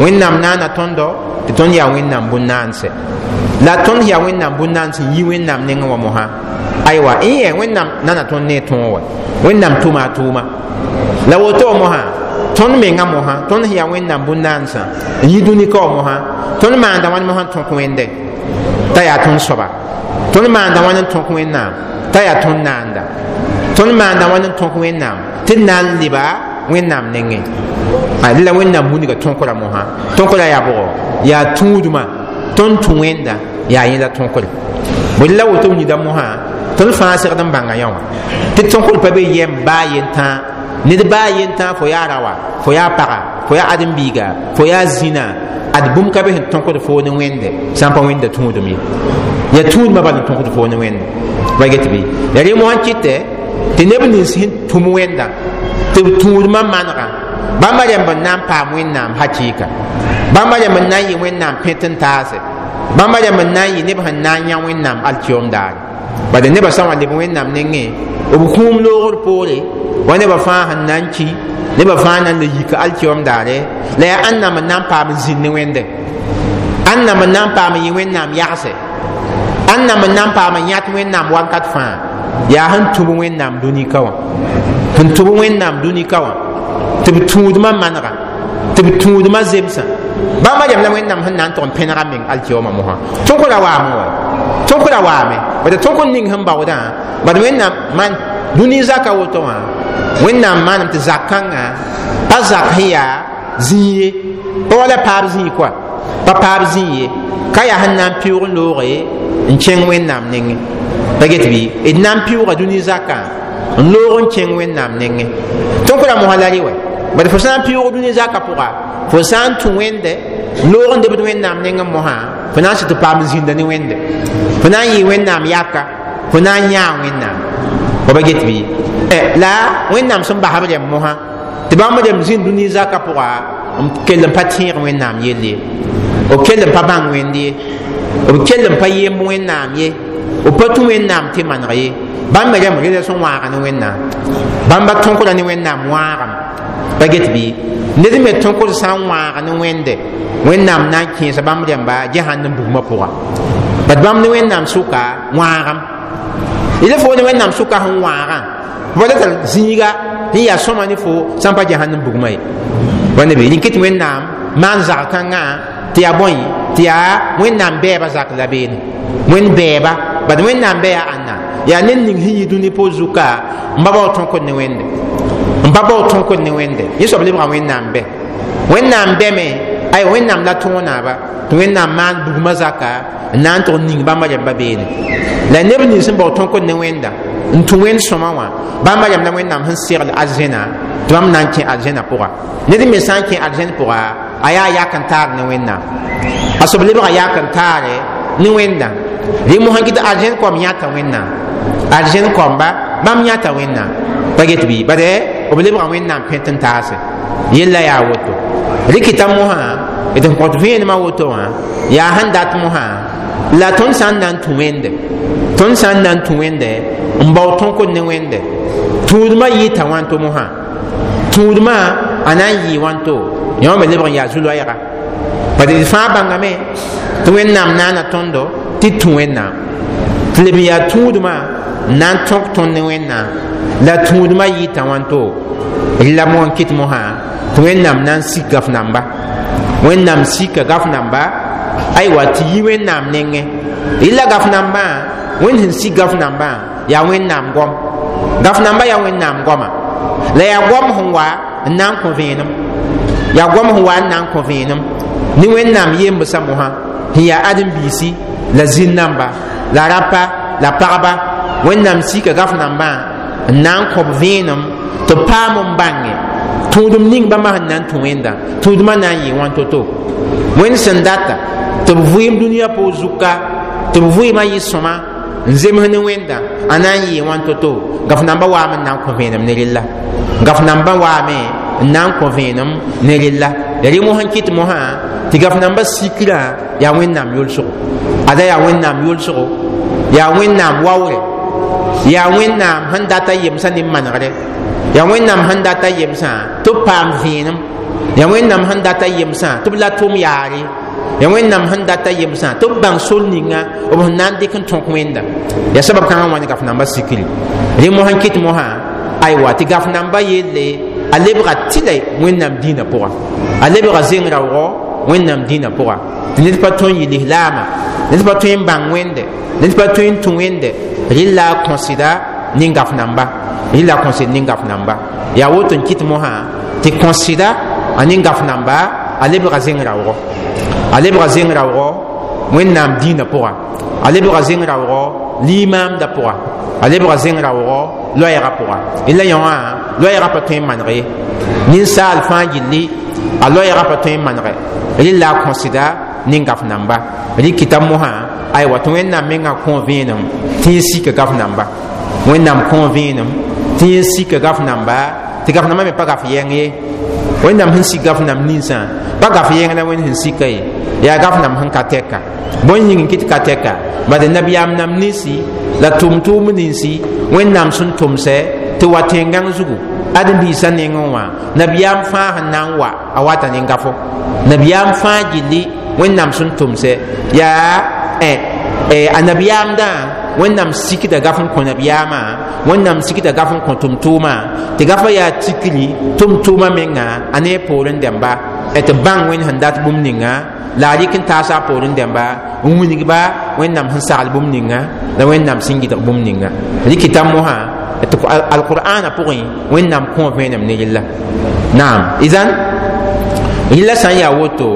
Wẽnnaam naana tõndo tɩ tõnd yaa Wẽnnaam bũn-naanse la tõnd yaa Wẽnnaam bũn-naans n yi Wẽnnaam nengẽ wã mosã aywa n yɛ Wẽnnaam nana tõnd ne tõog wa Wẽnnaam tʋma a tʋʋma la woto wã mosã tõnd menga mosã tõnd sẽn yaa Wẽnnaam bũn-naansã n yi dũni ka wã mosã tõnd maanda wãn mosã n tõk Wẽnde t'a yaa tõnd soaba tõnd maanda wãn n tõk Wẽnnaam t'a yaa tõnd naanda tõnd maanda wãn n tõk Wẽnnaam tɩ d na n leba Wẽnnaam nengẽ la Wẽnnaam wilga tõkra mosã tõkra yaa bʋgɔ yaa tũudmã tõnd tũ Wẽnda yaa yẽla tõkre bõe la woto nida mosã tõnd fãa segd n bãnga yã wã tɩ tõkr pa be yɛm baa yentã ned baa yentã fo yaa raoa fo yaa paga fo yaa ãdem-biiga fo yaa zĩna ad bũmb ka be sẽn tõkd foo ne Wẽnde sã n pa Wẽnda tũudem ye yaa tũudmã bal n tõkd foo ne Wẽnde ba get bɩ yaa rẽ mosã kɩtɛ tɩ neb nins sẽn tũm Wẽnda tɩ b tũudmã manega bãmba rẽmb n na n paam Wẽnnaam hakɩɩka bãmba rẽmb n na n yɩ Wẽnnaam pẽt n taase bãmba rẽmb n na n yɩ neb sẽn na n yã Wẽnnaam alkiom daare bala nebã sã n wa leb Wẽnnaam nengẽ b kũum loogr poore Wa nebã fãa sẽn na n ki, nebã fãa na n le yika alkiom daare, la yaa ãnnam n na n paam n zĩnd ne Wẽnde, ãnnam n na n paam n yɩ Wẽnnaam yagse, ãnnam n na n paam n yãt Wẽnnaam wakat fãa. Yaa sẽn tũb Wẽnnaam dũnika wã, sẽn tũb Wẽnnaam dũnika wã tɩ b tũudmã manega, tɩ b tũudmã zemsã. Bãmba rem la Wẽnnaam sẽn na n tʋg n pẽnega meng alkiyoomã mosã. Tõk ra waame wa, tõk ra waame, bad tõk n ning sẽn baoodã, bad Wẽnnaam man dũni zaka woto wã. Wẽnnaam maanam tɩ zak kãngã pa zak sẽn yaa zĩig ye, pa wala paab zĩig koa, pa paab zĩig ye, ka yaa sẽn na n pɩʋʋg n looge n kẽng Wẽnnaam nengẽ. Pa get bɩ d na n pɩʋʋga dũni zakã n loog n kẽng Wẽnnaam nengẽ. Tõk ra mosã la rɩ wɛ, bad fo sã n pɩʋʋg dũni zakã pʋga, fo sã n tũ Wẽnde n loog n debd Wẽnnaam nengẽ mosã, fo na n sɩ tɩ paam zĩnda ne Wẽnde, fo na n yɩ Wẽnnaam yaka, fo na n yãa Wẽnnaam. Fo ba get bɩ la Wẽnnaam sẽn bas b rem mosã tɩ bãmb rem zĩnd dũni zakã pʋga n kell n pa tẽeg Wẽnnaam yell ye, b kell n pa bãng Wẽnd ye, b kell n pa yemb Wẽnnaam ye, b pa tũ Wẽnnaam tɩ maneg ye. Bãmb me rem rela sẽn wãaga ne Wẽnnaam, bãmba tõkra ne Wẽnnaam wãagam. Pa get bɩ ned me tõkd sã n wãag ne Wẽnde, Wẽnnaam na n kẽesa bãmb rẽmba Jahannam bugmã pʋga. Bad bãmb ne Wẽnnaam sʋka wãagam yela fo ne Wẽnnaam sʋka sẽn wãagã wala tar zĩiga sẽn yaa sõma ne fo sã n pa Jahannam bugmã ye. Wãnda be rĩn tɩ Wẽnnaam maan zag kãngã tɩ yaa bõe, tɩ yaa Wẽnnaam bɛɛba zak la beene, Wẽnd bɛɛba. Bad Wẽnnaam bɛ yaa ãnna? Yaa ned ning sẽn yi dũni po zuka n pa bao tõkd ne Wẽnde, n pa bao tõkd ne Wẽnde. Yẽ soab lebga Wẽnnaam bɛ, Wẽnnaam bɛ me, ay Wẽnnaam la tõog naaba tɩ Wẽnnaam maan bugmã zaka n na n tʋg ning bãmba rẽmba beene. La neb nins sẽn bao tõkd ne Wẽnda n tũ Wẽnd sõma wã, bãmba rẽm la Wẽnnaam sẽn segl arzẽna tɩ bãmb na n kẽ arzẽna pʋga. Ned me sã n kẽ arzẽn pʋga, a yaa yak n taar ne Wẽnnaam, a soab lebga yak n taare ne Wẽnda. Rẽ mosã kɩ tɩ arzẽn koam yãta Wẽnnaam, arzẽn koamba bãmb yãta Wẽnnaam. Pa get bɩ bad b lebga Wẽnnaam pẽt n taase yella yaa woto. Rɩkɩta mosã d n kõt vẽenemã woto wã yaa sẽn dat mosã la tõnd sã n na n tũ Wẽnde, tõnd sã n na n tũ Wẽnde n bao tõkd ne Wẽnde, tũudmã yɩɩta wãnto mosã, tũudmã a na n yɩɩ wãnto yõ me lebg n yaa zu-loɛɛga. Bad d fãa bãngame tɩ Wẽnnaam naana tõndo tɩ tũ Wẽnnaam, tɩ leb n yaa tũudmã n na n tõk tõnd ne Wẽnnaam, la tũudmã yɩɩta wãnto. La mo n kɩt mosã tɩ Wẽnnaam na n sik gaf namba, Wẽnnaam sika gaf namba, aywa, tɩ yi Wẽnnaam nengẽ. Rɩla gaf nambã, Wẽnd sẽn sik gaf nambã yaa Wẽnnaam goam, gaf namba yaa Wẽnnaam goama, la yaa goam sẽn wa n na n kõ vẽenem, yaa goam sẽn wa n na n kõ vẽenem ne Wẽnnaam yembsã mosã sẽn yaa ãdem-biisi la zĩn-namba la rapa la pagba. Wẽnnaam sika gaf nambã n na n kõb vẽenem tɩ paam n bãnge tũudem ning bãmba sẽn na n tũ Wẽnda, tũudmã na n yɩ wãn to-to. Wẽnd sẽn data tɩ b vɩɩm dũniyã poor zuka, tɩ b vɩɩmã yɩ sõma n zems ne Wẽnda, a na n yɩ wãn to-to. Gaf nambã waame n na n kõ vẽenem ne rella, gaf nambã waame n na n kõ vẽenem ne rella. Ya rẽ mosã n kɩt mosã tɩ gaf nambã sikrã yaa Wẽnnaam yolsgo, ada yaa Wẽnnaam yolsgo, yaa Wẽnnaam waoore, yaa Wẽnnaam sẽn data yemsã ne manegre, yaa Wẽnnaam sẽn data yemsã tɩ b paam vẽenem, yaa Wẽnnaam sẽn data yemsã tɩ b la tʋm yaare, yaa Wẽnnaam sẽn data yemsã tɩ b bãng sol ninga b sẽn na n dɩk n tõk Wẽnda. Yaa sabab kãngã wã ne gaf nambã sikri. Rẽ mosã n kɩt mosã, aywa, tɩ gaf nambã yelle a lebga tɩla Wẽnnaam dĩinã pʋga, a lebga zeng raoogɔ Wẽnnaam dĩinã pʋga, tɩ ned pa tõe n yɩ lislaama, ned pa tõe n bãng Wẽnde, ned pa tõe n tũ Wẽnde, rɩla a kõsda ne gaf namba, rɩla a kõsd ne gaf namba. Yaa woto n kɩt mosã tɩ kõsda a ne gaf namba a lebga zeng raoogɔ, a lebga zeng raoogɔ Wẽnnaam dĩinã pʋga, a lebga zeng raoogɔ limaamdã pʋga, a lebga zeng raoogɔ loɛɛgã pʋga. La yõ wã loɛɛgã pa tõe n maneg ye, ninsaal fãa gilli a loɛɛgã pa tõe n manege, rɩla a kõsda ne gaf namba. Rɩkɩta mosã, aywa, tɩ Wẽnnaam mengã kõ vẽenem tɩ yẽ sika gaf namba, Wẽnnaam kõ vẽenem tɩ yẽ sika gaf namba, tɩ gaf nambã me pa gaf yɛng ye. Wẽnnaam sẽn sik gaf namb ninsã pa gaf yɛng la Wẽnd sẽn sika ye, yaa gaf namb sẽn ka tɛka. Bõe yĩng n kɩt ka tɛka? Bad nabiyaam nam ninsi la tʋm-tʋʋm ninsi Wẽnnaam sẽn tʋmsɛ Tɩ wa tẽn-gãng zugu ãdem-biisã nengẽ wã nabiyaam fãa sẽn na n wa a wata ne gafo nabiyaam fãa gilli wẽnnaam sẽn tʋmsɛ yaa a nabiyaamdã wẽnnaam sikda gaf n kõ nabiyaamã wẽnnaam sikda gaf n kõ tʋm-tʋʋmã tɩ gafã yaa tikri tʋm-tʋʋmã menga a ne poorẽ dẽmba tɩ bãng wẽnd sẽn dat bũmb ninga la a rɩk n taasa a poorẽ dẽmba n wilgba wẽnnaam sẽn sagl bũmb ninga la wẽnnaam sẽn gɩdg bũmb ninga rɩkɩta mosã tɩ alqur'ana pʋgẽ wẽnnaam kõ vẽenem ne rella naam izan rella sã n yaa woto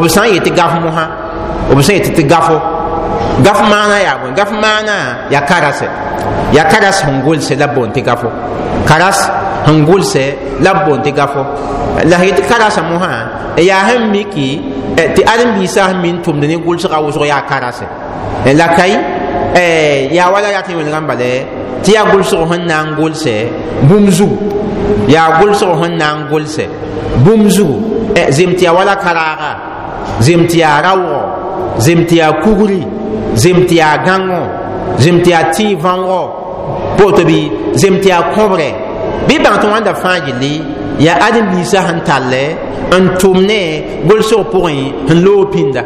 b sã n yet tɩ gaf mosã b sã n yet tɩ gafo gaf maana yaa bõe gaf maana yaa karasɛ yaa karas sẽn gʋlsɛ la b boond tɩ gafo karas sẽn gʋlsɛ la b boond tɩ gafo la sẽn yet karasã mosã yaa sẽn miki tɩ ãdem-biisã sẽn min tʋmd ne gʋlsgã wʋsg yaa karasɛ la kai yaa wala yaa tɩ wẽnegã bala tɩ yaa gʋlsg sẽn na n gʋlsɛ bũmb zugu yaa gʋlsg sẽn na n gʋlsɛ bũmb zugu zem tɩ yaa wala karaaga zem tɩ yaa raoogɔ zem tɩ yaa kugri zem tɩ yaa gãngo zem tɩ yaa tɩɩ võogo poto bɩ zem tɩ yaa kõbrɛ bɩ bãng tɩ wãnda fãa gilli yaa ãdem-biisã sẽn tallɛ n tʋm ne gʋlsg pʋgẽ sẽn loog pĩnda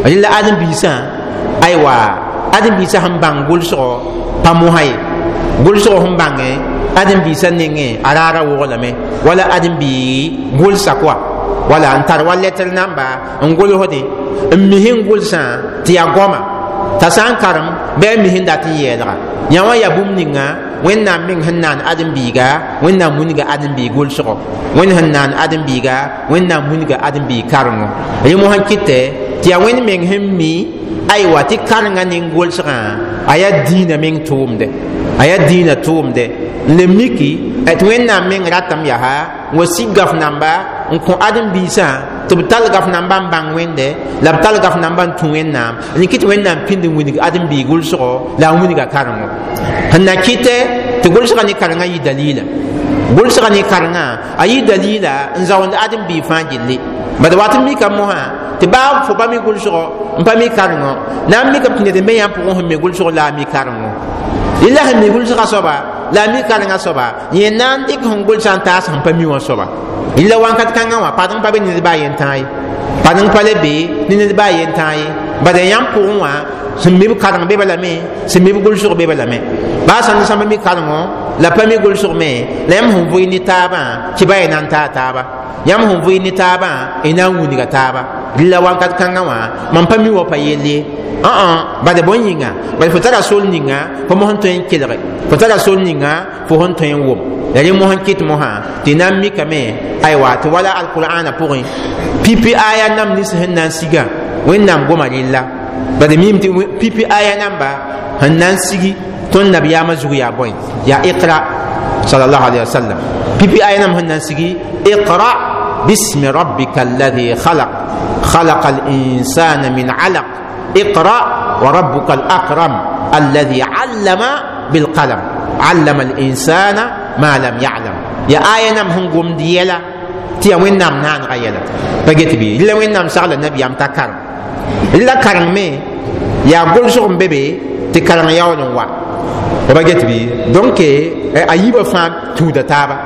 rẽla ãdem-biisã aywa ãdem-biisã sẽn bãng gʋlsgɔ pa mosã ye gʋlsg sẽn bãngẽ ãdem-biisã nengẽ a raara woglame wala ãdem-bii gʋlsa koa wala n tar wa lɛtr namba n gʋlsdẽ n mis n gʋlsã tɩ yaa goama t'a sã n karem bɩ a mis n dat n yɛɛlga yã wã yaa bũmb ninga wẽnnaam meng sẽn naan ãdem-biiga wẽnnaam wilga ãdem-biig gʋlsgo wẽnd sẽn naan ãdem-biiga wẽnnaam wilga ãdem-biig karengo rẽ mosã kɩtɛ tɩ yaa wẽnd meng sẽn mi aywa tɩ karenga ning gʋlsgã a yaa dĩinã meng tʋʋmde a yaa dĩinã tʋʋmde n le miki tɩ wẽnnaam meng ratame yaa n wa sig gaf namba n kõ ãdem-biisã tɩ b tall gaf namba n bãng wẽnde la b tall gaf namba n tũ wẽnnaam n kɩ tɩ wẽnnaam pĩnd n wilg ãdem-biig gʋlsgo la a wilga karengo sẽn na kɩtɛ tɩ gʋlsga ne karengã yɩ dalila gʋlsga ne karengã a yɩ dalila n zaoond ãdem-biig fãa gilli bad wat n mika mosã tɩ baa fo pa mi gʋlsgo n pa mi karengo na n mikame tɩ ned n be yãmb pʋgẽ sẽn mi gʋlsg la a mi karengo rela sẽn mi gʋlsga soaba la a mi karengã soaba yẽ na n dɩk sẽn gʋlsã n taas sẽn pa mi wã soaba rela wãnkat kãngã wã padeng pa be ne ned baa yen tãa ye padeng pa le be ne ned baa yen tãa ye bad yãmb pʋgẽ wã sẽn mi b kareng be lame sẽn mi b gʋlsg be lame baa sãn sãmb mi karengo la pa mi gʋlsg me la yãmb sẽn vʋɩ ne taabã tɩ ba y na n taa taaba yãmb sẽn vʋɩ ne taabã y na n wilga taaba rela wãnkat kãngã wã mam pa mi wa pa yell ye bad bõe yĩnga bad fo tara sol ninga fo mos n tõe n kelge fo tara sol ninga fo sẽn tõe n wʋm la rẽ mos n kɩt mosã tɩ na n mikame aywa tɩ wala alqur'ana pʋgẽ pipi aya nam nins sẽn na n sigã wẽnnaam goma rella bad mim tɩ pipi aya namba sẽn na n sigi tõnd nabiyaamã zug yaa bõe yaa iqra sallallahu alaihi wasallam pipi aya nam sẽn na n sigi iqra bismi rabbika alladhi khalaq khalaqa al-insana min alaq اقرأ وربك الأكرم الذي علم بالقلم علم الإنسان ما لم يعلم يا آية نم هنقوم ديلا تيا وين نام نان غيلا بقيت بي إلا وين نام سأل النبي أم تكرم إلا كرم مي يا قول سوم بيبي تكرم يا ونوا وبقيت بي دونك أيبا فام تودا تابا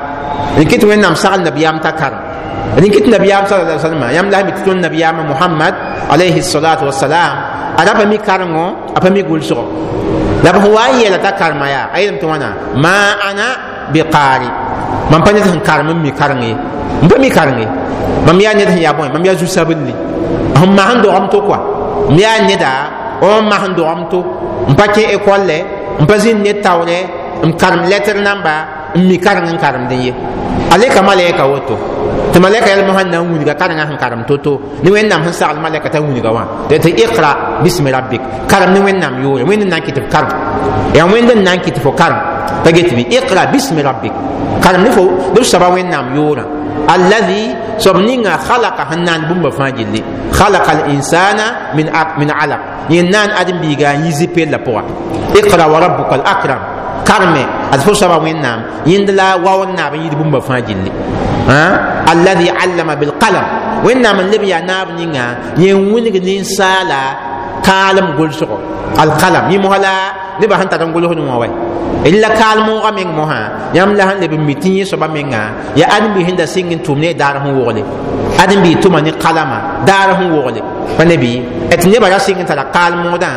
إن وين نام سأل النبي أم تكرم إن كنت النبي صلى الله عليه وسلم يام لا متون النبي محمد عليه الصلاة والسلام ada pa mi karengo apa mi gʋlsgo la b sẽn wa n yeela t'a karema yaa a yeelame tɩ wãna ma ana biqaari mam pa ned sẽn karem n mi kareng ye n pa mi kareng ye mam yaa ned sẽn yaa bõe mam yaa zu-sabelli sẽn mas n dogem to koa m yaa neda n mas n dogem to n pa kẽ ekɔllɛ n pa zĩnd ned taoorɛ n karem lɛtr namba n mi kareng n karemdẽ ye a leka malɛka woto tɩ malɛka yɛl mosã na n wilga karengã sẽn karem to-to ne wẽnnaam sẽn sagl malɛka t'a wilga wã tɩ iqra bismi rabbik karem ne wẽnnaam yʋʋre wẽnd n na n kɩ tɩ f karem yaa wẽnd n na n kɩ tɩ fo karem pa get bɩ iqra bismi rabbik karem ne fo ne f soaba wẽnnaam yʋʋrã alladhi soab ninga khalaqa sẽn naan bũmba fãa gilli khalaqa al-insana min alaq yẽ naan ãdem-biiga n yi zipella pʋga iqra wa rabbuka al-akram karme ad fo soaba wẽnnaam yẽnd la waoor naab n yid bũmba fãa gilli alladhi allama bilqalam wẽnnaam n leb yaa naab ninga yẽ wilg ninsaala kaalem gʋlsgo alqalam yẽ mosã la Nebã sẽn tar n gʋlsd wã wa la kaal moogã meng mosã yãmb la sẽn leb n mi tɩ yẽ soaba menga yaa ãdem-biis sẽn da sɩng n tʋm ne daar sẽn wogle ãdem-biis tʋma ne kalama daar sẽn wogle pa ne bɩ tɩ nebã ra sɩng n tara kaal moodã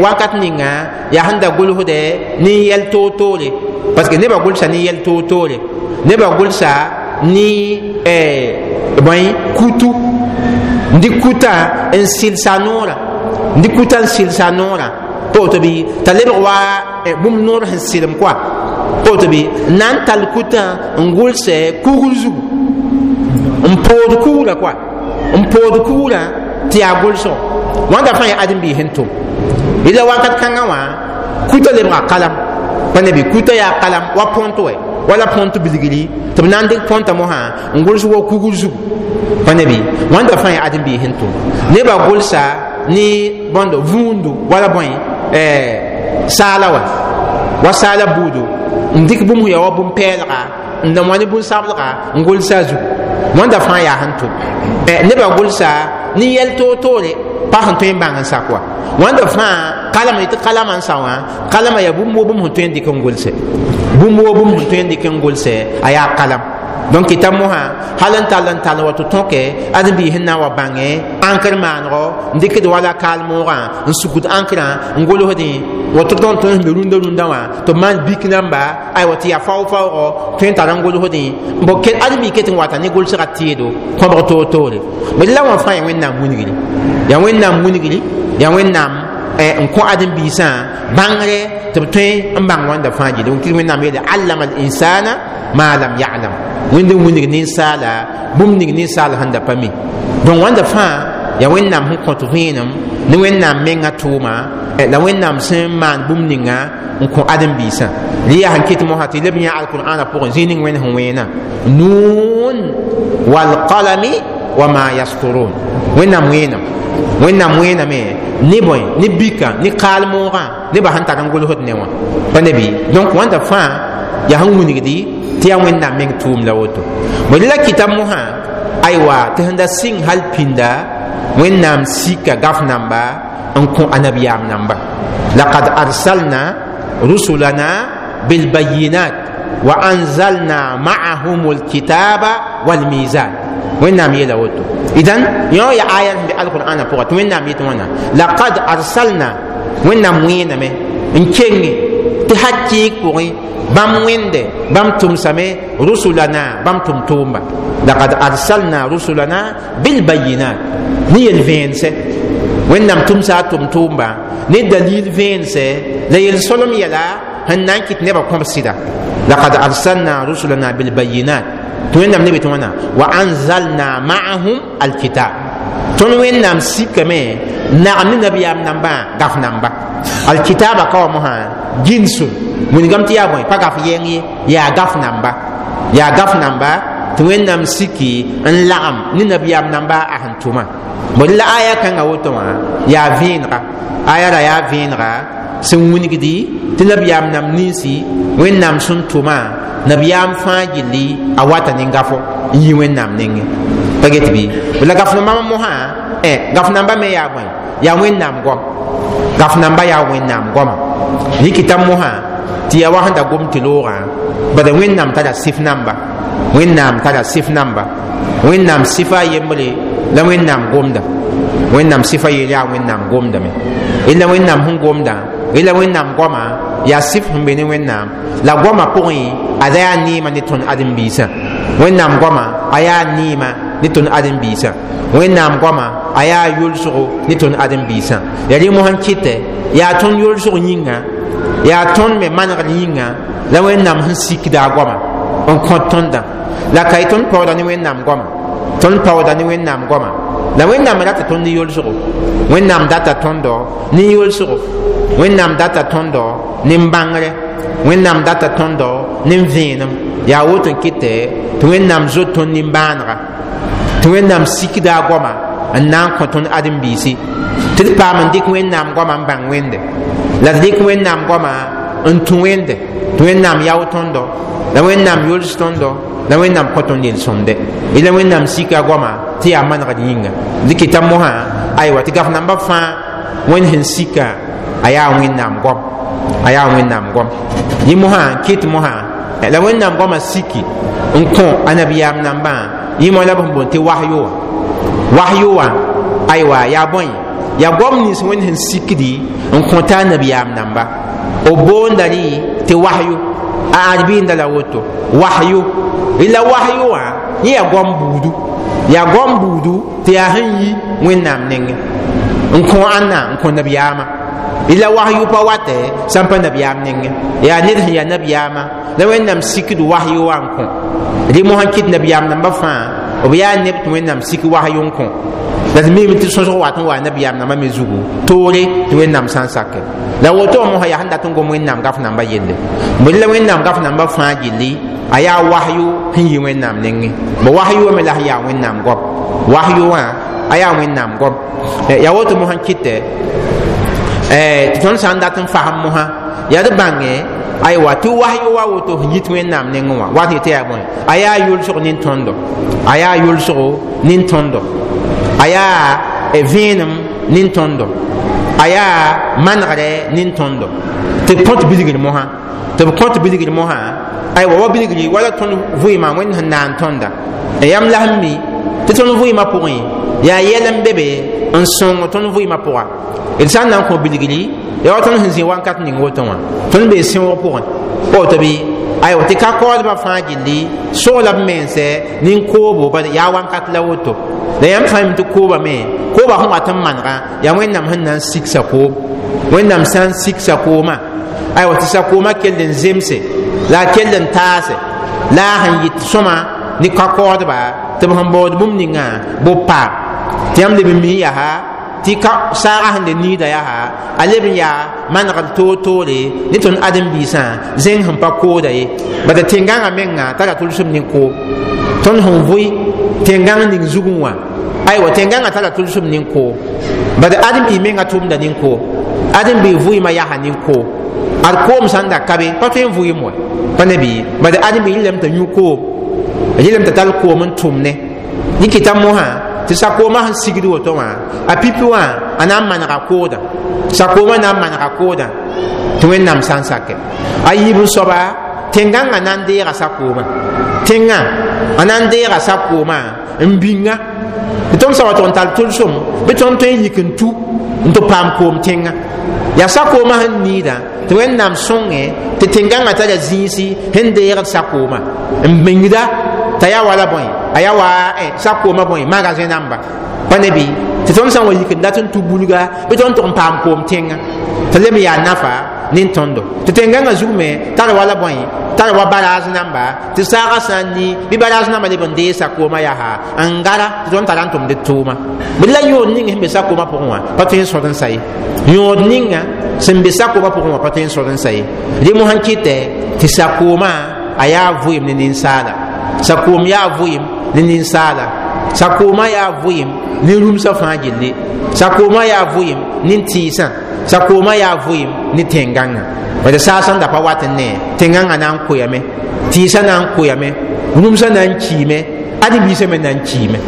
wakat ninga yaa sẽn da gʋlsdɛ ne yɛl toor-toore parce que nebã gʋlsa ne yɛl toor-toore nebã gʋlsa ne bõe kutu n dɩk kuta n sɩlsa noorã n dɩk kuta n sɩlsa noorã pa woto bɩ t'a lebg wa bũmb noor sẽn sɩlem koa pa woto bɩ n na n tall kutã n gʋlsɛ kugr zugu n pood kugrã koa n pood kugrã tɩ yaa gʋlsgo wãnda fãa yaa ãdem-biis sẽn tʋm yella wakat kãngã wã kuta lebga kalam pa ne bɩ kuta yaa kalam wa põnt wɛ wala põnt bilgri tɩ b na n dɩk põntã mosã n gʋls wa kugr zugu pa ne bɩ wãnda fãa yaa ãdem-biis sẽn tʋm nebã gʋlsa ne bõndo vũundu wala bõe saala wa wa saala buudu n dɩk bũmb ya wa bũmb-pɛɛlga n da wã ne bũn-sablga n gʋlsa a zugu wãnda fãa yaa sẽn tʋm nebã gʋlsa ne yɛl toor-toore pa sẽn tõe n bãng n sak wa wãnda fãa kalama tɩ kalama n sa wã kalama yaa bũmb wo bũmb sẽn tõe n dɩk n gʋlsɛ bũmb wo bũmb sẽn tõe n dɩk n gʋlsɛ a yaa kalam donc kɩta mosã hal n tall n tall wa tɩ tõke ãdem-biis sẽn na n wa bãngẽ ãnkr maanego n dɩkd wala kaal moogã n sugd ãnkrã n gʋlsdẽ woto tõnd tõnd sẽn be rũndã rũndã wã tɩ b maan bik namba aywa tɩ yaa fao-faoogɔ tõe n tar n gʋlsdẽ bo ãdem-biig ket n wata ne gʋlsgã tɩɩdo kõbg toor-toore la wã fãa yaa Wẽnnaam wilgri yaa Wẽnnaam wilgri yaa Wẽnnaam n kõ ãdem-biisã bãngre tɩ b tõe n bãng wãnda fãa gilli Wẽnnaam yeele allama al insana ma lam ya'lam Wẽnd n wilg ninsaala bũmb ning ninsaal sẽn da pa mi donc wãnda fãa yaa Wẽnnaam sẽn kõt vẽenem ne Wẽnnaam mengã tʋʋma la Wẽnnaam sẽn maan bũmb ninga n kõ ãdem-biisã rɩ yaa sẽn kɩt mosã tɩ leb yã alqur'ana pʋgẽ zĩig ning Wẽnd sẽn wẽena nuun walqalami wa ma yasturun Wẽnnaam wẽenam Wẽnnaam wẽename ne bõe ne bika ne kaal moogã nebã sẽn tar n gʋlsd ne wã pa ne bɩ donc wãnda fãa yaa sẽn wilgdi tɩ yaa Wẽnnaam meng tʋʋm la woto bõe la kɩta mosã aywa tɩ sẽn da sɩng hal pĩnda Wẽnnaam sika gaf namba n kõ anabiyaam namba laqad arsalna rusulana bilbayinat wa anzalna ma'ahum alkitaba walmizan Wẽnnaam yeela woto idan yõ ya aya sẽn be alqur'ana pʋga tɩ Wẽnnaam yetɩ wãna laqad arsalna Wẽnnaam wẽename n kenge tɩ hakɩɩg pʋgẽ bãmb wẽnde bãmb tʋmsame rusulana bãmb tʋm-tʋʋmba laqad arsalna rusulana bilbayinat ne yel-vẽensɛ Wẽnnaam tʋmsa a tʋm-tʋʋmba ne dalil vẽensɛ la yel-solem yɛla sẽn na n kɩt nebã kõb sɩda laqad arsalna rusulana bilbayinat tɩ Wẽnnaam ne be tɩ wãna wa anzalna ma'ahum alkitab tõnd Wẽnnaam sikame nagem ne nabiyaam nambã gaf namba alkitaba ka wa mosã ginsun wilgame tɩ yaa bõe pa gaf yɛng ye yaa gaf namba yaa gaf namba tɩ Wẽnnaam siki n lagem ne nabiyaam namba a sẽn tʋma bõe la aya kãngã woto wã yaa vẽenega aya ra yaa vẽenega sẽn wilgdi tɩ nabiyaam nam ninsi Wẽnnaam sẽn tʋma nabiyaam fãa gilli a wata ne gafo n yi Wẽnnaam nengẽ pa get bɩ la gaf nambã mosã gaf namba me yaa bõe yaa Wẽnnaam goam gaf namba yaa Wẽnnaam goama rɩkɩta mosã tɩ yaa wa sẽn da gom tɩ loogã bala Wẽnnaam tara sɩf namba Wẽnnaam tara sɩf namba Wẽnnaam sɩfa a yembre la Wẽnnaam gomda Wẽnnaam sɩfa yeel yaa Wẽnnaam gomdame la Wẽnnaam sẽn gomdã la Wẽnnaam goama yaa sɩf sẽn be ne Wẽnnaam la goama pʋgẽ ada yaa neema ne tõnd ãdem-biisã Wẽnnaam goama a yaa neema ne tõnd ãdem-biisã Wẽnnaam goama a yaa yʋlsgo ne tõnd ãdem-biisã yaa rẽ mosã n kɩtɛ yaa tõnd yʋlsg yĩnga yaa tõnd me manegr yĩnga la Wẽnnaam sẽn sikda a goama n kõt tõndã la ka y tõnd paooda ne Wẽnnaam goama tõnd paooda ne Wẽnnaam goama la Wẽnnaam rata tõnd ne yʋlsgo Wẽnnaam data tõndo ne yʋlsgo Wẽnnaam data tõndo ne bãngre Wẽnnaam data tõndo ne vẽenem yaa woto n kɩtɛ tɩ Wẽnnaam zot tõnd nimbãanega tɩ Wẽnnaam sikda a goama n na n kõ tõnd ãdem-biisi tɩ d paam n dɩk Wẽnnaam goama n bãng Wẽnde la d dɩk Wẽnnaam goama n tũ Wẽnde tɩ Wẽnnaam yao tõndo la Wẽnnaam yʋls tõndo la Wẽnnaam kõ tõnd yel-sõmde la Wẽnnaam sika goama tɩ yaa manegd yĩnga d kɩta mosã aywa tɩ gaf namba fãa Wẽnd sẽn sika a yaa Wẽnnaam goam A yaa Wẽnnaam goam yẽ mosã n kɩt mosã la Wẽnnaam goamã siki n kõ a nabiyaam nambã yẽ moa la b sẽn boond tɩ wahyo wã. Wahyo wã aywa yaa bõe? Yaa goam nins Wẽnd sẽn sikdi n kõta a nabiyaam namba. B boonda rɩ tɩ wahyo, a arbiinda la woto wahyo. La wahyo wã yẽ yaa goam buudu, yaa goam buudu tɩ yaa sẽn yi Wẽnnaam nengẽ n kõ ãnna, n kõ nabiyaamã. La wahyu pa watɛ sãn pa nabiyaam nengẽ, yaa ned sẽn yaa nabiyaamã la Wẽnnaam sikd wahyo wã n kõ. Rɩ mosã kɩt nabiyaam nambã fãa b yaa neb tɩ Wẽnnaam sik wahyo n kõ. La d miime tɩ sõsg wat n wa nabiyaam nambã me zugu toore tɩ Wẽnnaam sã n sake. La woto mosã yaa sẽn dat n gom Wẽnnaam gaf nambã yelle. Bõe la Wẽnnaam gaf nambã fãa gilli a yaa wahyu sẽn yi Wẽnnaam nengẽ. Bõ wahyu wã me la sẽn yaa Wẽnnaam goam, wahyu wã a yaa Wẽnnaam goam. Yaa woto mosã kɩtɛ tɩ tõnd sã n dat n fasem mosã yaa d bãnge aywa tɩ wahyu wa woto sẽn yit Wẽnnaam nengẽ wã wat yetɩ yaa bõe? A yaa yʋlsg nin-tõndo, a yaa yʋlsgo nin-tõndo, a yaa vẽenem nin-tõndo, a yaa manegrɛ nin-tõndo tɩ b kõt bilgr mosã, tɩ b kõt bilgr mosã. Aywa wa bilgri wala tõnd vɩɩmã Wẽnd sẽn naan tõnda yãmb la sẽn mi tɩ tõnd vɩɩmã pʋgẽ yaa yɛl n be be n sõng tõnd vɩɩmã pʋga. D sã n na n kõ bilgri yaa wa tõnd sẽn zĩ wakat ning woto wã tõnd bee sẽoog pʋgẽ woto bɩ aywa tɩ ka kaoodbã fãa gilli sogla b mensɛ nin-koobo bad yaa wakat la woto. La yãmb sã n tɩ kooba me kooba sẽn wat n manegã yaa Wẽnnaam sẽn na n sik sakoom. Wẽnnaam sã n sik sakoomã aywa tɩ sakoomã kell n zemse la a kell n taase la a sẽn yɩt sõma ne ka-kaoodba tɩ b sẽn baood bũmb ninga b paam. Tɩ yãmb leb n mi yaa tɩ ka saaga sẽn le niida yaa a leb n yaa manegr toor-toore ne tõnd ãdem-biisã zẽng sẽn pa kooda ye. Bala tẽn-gãngã menga tara tʋlsem ne koom. Tõnd sẽn vʋɩ tẽn-gãng ning zugẽ wã aywa tẽn-gãngã tara tʋlsem ne koom. Bala ãdem-bi menga tʋmda ne koom, ãdem-bi vʋɩɩmã yaa ne koom. Ad koom sãn da ka be pa tõe n vʋɩɩm wa pa ne bɩ. Bala ãdem-bi yɩlame t'a yũ koom, a yɩlame t'a tall koom n tʋm ne yẽ kɩta mosã tɩ sakoomã sẽn sigd woto wã a pipi wã a na n manega koodã, sakoomã na n manega koodã tɩ Wẽnnaam sã n sake. A yiib n soaba tẽn-gãngã na n deega sakoomã, tẽngã a na n deega sakoomã n bĩnga tɩ tõnd sã wa tʋg n tall tʋlsem bɩ tõnd tõe n yik n tu n tɩ paam koom tẽngã. Yaa sakoomã sẽn niidã tɩ Wẽnnaam sõnge tɩ tẽn-gãngã tara zĩisi sẽn deegd sakoomã n bĩngda t'a yaa wala bõe, a yaa wa sakoomã bõe magasin namba pa ne bɩ tɩ tõnd sã n wa yik n dat n tu bulga bɩ tõnd tʋg n paam koom tẽngã tɩ leb n yaa nafa nin-tõndo. Tɩ tẽn-gãngã zug me tar wala bõe, tar wa baraas namba tɩ saagã sã n ni bɩ baraas namba leb n dee sakoomã yaa n gara tɩ tõnd tara n tʋmd d tʋʋma. Bɩ la yõod ning sẽn be sakoomã pʋgẽ wã pa tõe n sõd n sa ye, yõod ninga sẽn be sakoomã pʋgẽ wã pa tõe n sõd n sa ye. Rẽ mosã n kɩtɛ tɩ sakoomã a yaa vɩɩm ne ninsaala, sakoom yaa vɩɩm ne ninsaala, sakoomã yaa vɩɩm ne rũmsã fãa gilli, sakoomã yaa vɩɩm ne tɩɩsã, sakoomã yaa vɩɩm ne tẽn-gãngã. Bala saag sẽn da pa wat n ne tẽn-gãngã na n koyame, tɩɩsã na n koyame, rũmsã na n kiime, ãdem-biisã me na n kiime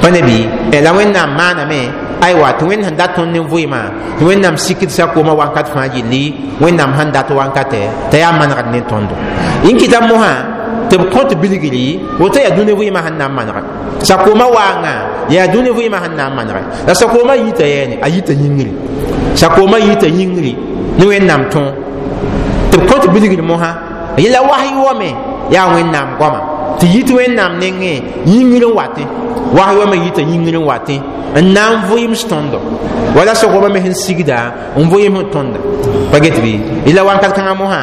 pa ne bɩ. La Wẽnnaam maaname aywa tɩ Wẽnd sẽn dat tõnd ne vɩɩmã tɩ Wẽnnaam sikd sakoomã wakat fãa gilli Wẽnnaam sẽn dat wankatɛ t'a yaa manegd ne tõndo. Yẽ kɩta mosã tɩ b kõt bilgri woto yaa dũni vɩɩmã sẽn na n manega. Sakoomã waangã yaa dũni vɩɩmã sẽn na n manege. La sakoomã yita yɛɛne a yita yĩngri, sakoomã yita yĩngri ne Wẽnnaam tõog tɩ b kõt bilgr mosã yẽla wasy wame yaa Wẽnnaam goama tɩ yit Wẽnnaam nengẽ yĩngr n watẽ, wasy wame yita yĩngr n watẽ n na n vɩɩms tõndo wala sakoomã me sẽn sigda n vɩɩms n tõnda pa get bɩ. Yẽla wakat kãngã mosã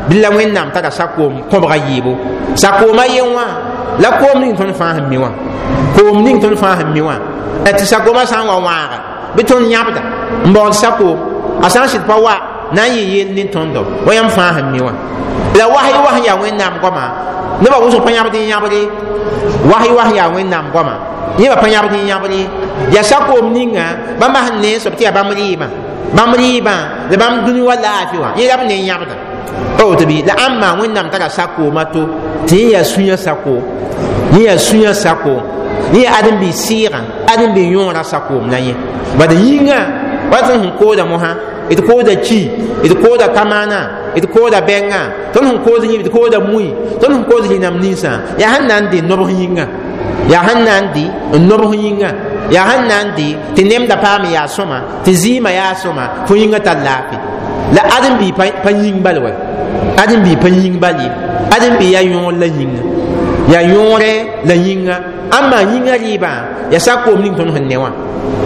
bɩ la Wẽnnaam tara sakoom kõbga yɩɩbo. Sakoomã yen wã la koom ning tõnd fãa sẽn mi wã, koom ning tõnd fãa sẽn mi wã tɩ sakoomã sã n wa wãaga bɩ tõnd yãbda n baood sakoom a sã n sɩd pa wa na n yɩ yell ne tõndo wa yãmb fãa sẽn mi wã. La wasy wa sẽn yaa Wẽnnaam goamã nebã wʋsg pa yãbd n yãbre, wasy wa sẽn yaa Wẽnnaam goamã yẽba pa yãbd n yãbre. Yaa sakoom ninga bãmba sẽn ne soab tɩ yaa bãmb rɩɩbã, bãmb rɩɩbã la bãmb dũni wa laafɩ wã yẽ la b ne n yãbda pa woto bɩ. La ãmba Wẽnnaam tara sakoomã to tɩ yẽ yaa sũyã sakoom, yẽ yaa sũyã sakoom, yẽ yaa ãdem-bi sɩɩgã, ãdem-bi yõorã sakoom la yẽ. Bad yĩngã wa tõnd sẽn kooda mosã d kooda ki, d kooda kamaana, d kooda bɛngã, tõnd sẽn koos yĩb d kooda mui, tõnd sẽn koos rĩnam ninsã, yaa sẽn na n dɩ nobs yĩnga, yaa sẽn na n dɩ n nobs yĩnga, yaa sẽn na n dɩ tɩ nemda paam yaa sõma, tɩ zɩɩmã yaa sõma, fo yĩngã tar laafɩ. La ãdem-bi pa yĩng bal wa, ãdem-bi pa yĩng bal ye, ãdem-bi yaa yõor la yĩnga, yaa yõore la yĩnga. Ãmba yĩngã rɩɩbã yaa sakoom ning tõnd sẽn ne wã,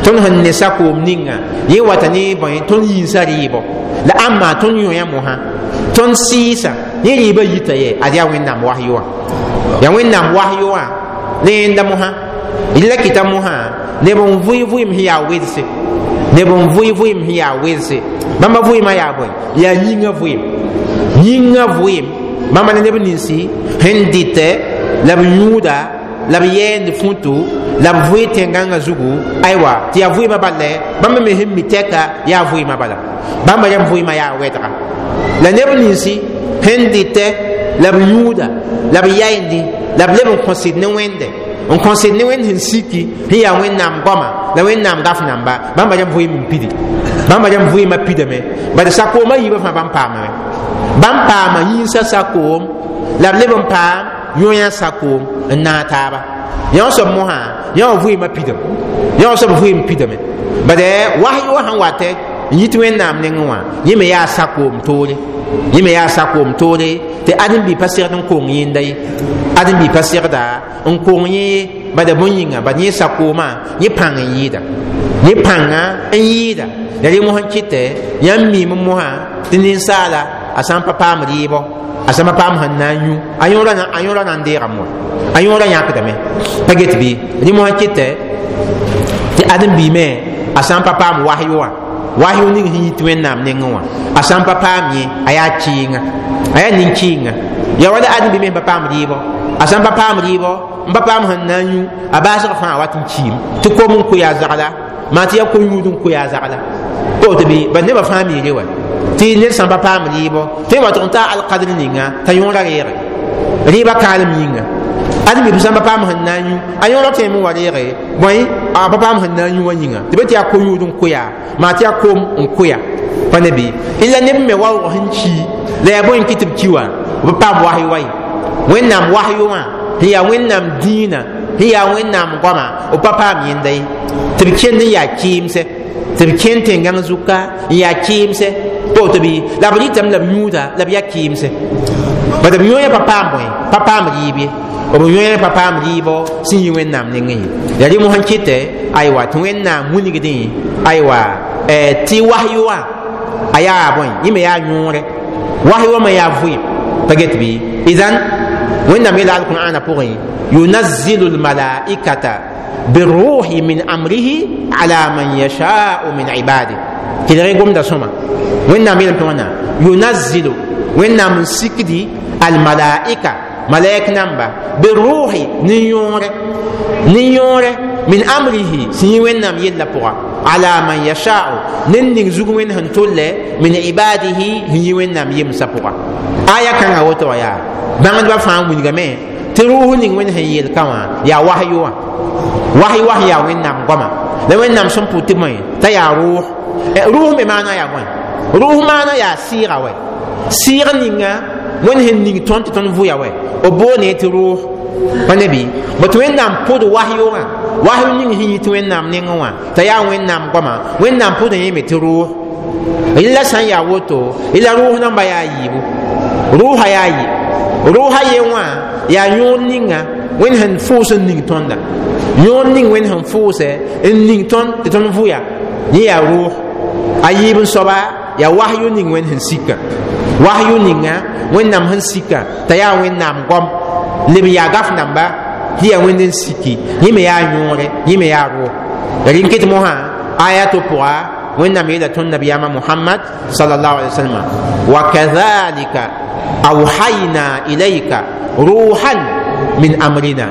tõnd sẽn ne sakoom ninga yẽ wata ne bõe tõnd yĩnsã rɩɩbɔ. La ãmba tõnd yõya mosã, tõnd sɩɩsa yẽ rɩɩbã yita ye, ad yaa Wẽnnaam wasyo wã, yaa Wẽnnaam wasyo wã ne yẽnda mosã. La kɩta mosã neb n vʋɩ vʋɩɩm sẽn yaa welse, neb n vʋɩ vʋɩɩm sẽn yaa welse. Bãmba vʋɩɩmã yaa bõe? Yaa yĩngã vʋɩɩm, yĩngã vʋɩɩm. Bãmba ne neb ninsi sẽn dɩtɛ la b yũuda la b yɛɛnd futu la b vʋɩ tẽn-gãngã zugu, aywa, tɩ yaa vʋɩɩmã bala. Bãmba me sẽn mi tɛka yaa vʋɩɩmã bala, bãmba rãmb vʋɩɩmã yaa wɛdga. La neb ninsi sẽn dɩtɛ la b yũuda la b yaendi la b leb n kõsd ne Wẽnde, n kõsd ne Wẽnd sẽn siki sẽn yaa Wẽnnaam goama la Wẽnnaam gaf namba, bãmba rãmb vʋɩɩm n pidi, bãmba rãmb vʋɩɩmã pidame. Bad sakoomã yiibã fãa bãmb paamame, bãmb paama yĩnsã sakoom la b leb n paam yõyã sakoom n naag taaba. Yã soab mosã yã wã vʋɩɩmã pidame, yã wã soab vʋɩɩm pidame. Bad wasyo wã sẽn watɛ n yit Wẽnnaam nengẽ wã, yẽ me yaa sakoom toore, yẽ me yaa sakoom toore tɩ ãdem-bi pa segd n kong yẽnda ye, ãdem-bi pa segda n kong yẽ ye. Bada bõe yĩnga? Bad yẽ sakoomã yẽ pãng n yɩɩda, yẽ pãnga n yɩɩda. La rẽ mosã kɩtɛ yãmb miime mosã tɩ ninsaala a sã n pa paam rɩɩbɔ, a sã n pa paam sẽn na n yũ, a yõora na n deegame wa, a yõora yãkdame pa get bɩ. Rẽ mosã kɩtɛ tɩ ãdem-biime a sã n pa paam wasyo wã, wasyo ning sẽn yit Wẽnnaam nengẽ wã, a sã n pa paam yẽ, a yaa kɩɩnga, a yaa nin-kɩɩnga. Ya wala ãdem-bi me pa paam rɩɩbɔ, a sã n pa paam rɩɩbɔ, n pa paam sẽn na n yũ, a baasg fãa wat n kiim tɩ kom n koe a zagla, maa tɩ yaa ko-yũud n koe a zagla. Tɩ bɩ bad nebã fãa miire wa tɩ ned sã n pa paam rɩɩbɔ, tɩ wa tʋg n taa alkadr ninga t'a yõora reege rɩɩbã kaalem yĩnga. Ãdem-bi sã n pa paam sẽn na n yũ, a yõora tõeme n wa reege bõe a pa paam sẽn na n yũ wã yĩnga, tɩ bɩ tɩ yaa ko-yũud n koa, maa tɩ yaa kom n koa pa ne bɩ. La neb me waoog sẽn ki la yaa bõe n kɩ tɩ b ki wã, b paam wasyo wa ye. Wẽnnaam wasyo wã sẽn yaa Wẽnnaam dĩinã, sẽn yaa Wẽnnaam goama, b pa paam yẽnda ye, tɩ b kẽnd n yaa kɩɩmsɛ, tɩ b kẽnd tẽn-gãng zuka n yaa kɩɩmsɛ pa woto bɩ. La b rɩtame la b yũuda la b yaa kɩɩmsɛ, bad b yõoyã pa paam bõe, pa paam rɩɩb ye, b yõoyã pa paam rɩɩbɔ sẽn yi Wẽnnaam nengẽ ye. La rẽ mosã kɩtɛ aywa tɩ Wẽnnaam wilgdẽ aywa tɩ wasyo wã a yaa bõe, yẽ me yaa yõore, wasyo wã me yaa vʋɩɩm pa get bɩ. Idan Wẽnnaam yeela alqur'ana pʋgẽ: yunazzilu lmalaikata birruhi min amrihi ala man yashau min ibadi. Kelg gomda sõma, Wẽnnaam yeelame tɩ wãna yunazzilu, Wẽnnaam n sikdi almalaika, malaik namba, birruhi, nin-yõore, nin-yõore, min amrihi, sẽn yĩ Wẽnnaam yella pʋga, ala man yashau, ned ning zug Wẽnd sẽn tolle, min ibadihi, sẽn yĩ Wẽnnaam yemsã pʋga. Aya kãngã woto wã yaa bãngdbã fãa wilgame tɩ rʋʋs ning Wẽnd sẽn yeel ka wã yaa wasyo wã, wasy was yaa Wẽnnaam goama la Wẽnnaam sẽn pʋ tɩ bõe t'a yaa rʋʋs. Rʋʋs me maana yaa bõe? Rʋʋs maana yaa sɩɩga wɛ, sɩɩg ninga Wẽnd sẽn ning tõnd tɩ tõnd vʋya wɛ, b boone tɩ rʋʋs pa ne bɩ. Bot Wẽnnaam pʋd wasyo wã, wasyo ning sẽn yit Wẽnnaam nengẽ wã t'a yaa Wẽnnaam goama, Wẽnnaam pʋd yẽme tɩ rʋʋs. La sã n yaa woto, la rʋʋs namba yaa yiibu, rʋʋsa yaa yɩ, rʋʋsa ye wã yaa yõor ninga Wẽnd sẽn fʋʋs n ning tõnda, yõor ning Wẽnd sẽn fʋʋsɛ n ning tõnd tɩ tõnd vʋya, yẽ yaa rʋʋs. A yiib n soaba yaa wasyo ning Wẽnd sẽn sika, wasyo ninga Wẽnnaam sẽn sika t'a yaa Wẽnnaam goam leb yaa gaf namba sẽn yaa Wẽnd n siki, yẽ me yaa yõore, yẽ me yaa rʋʋs. La rẽn ket mosã aya to pʋga Wẽnnaam yeela tõnd nabiyaamã Mohamad sallallahu alaihi wasallam: wa kadhalika awhayna ilayka ruhan min amrina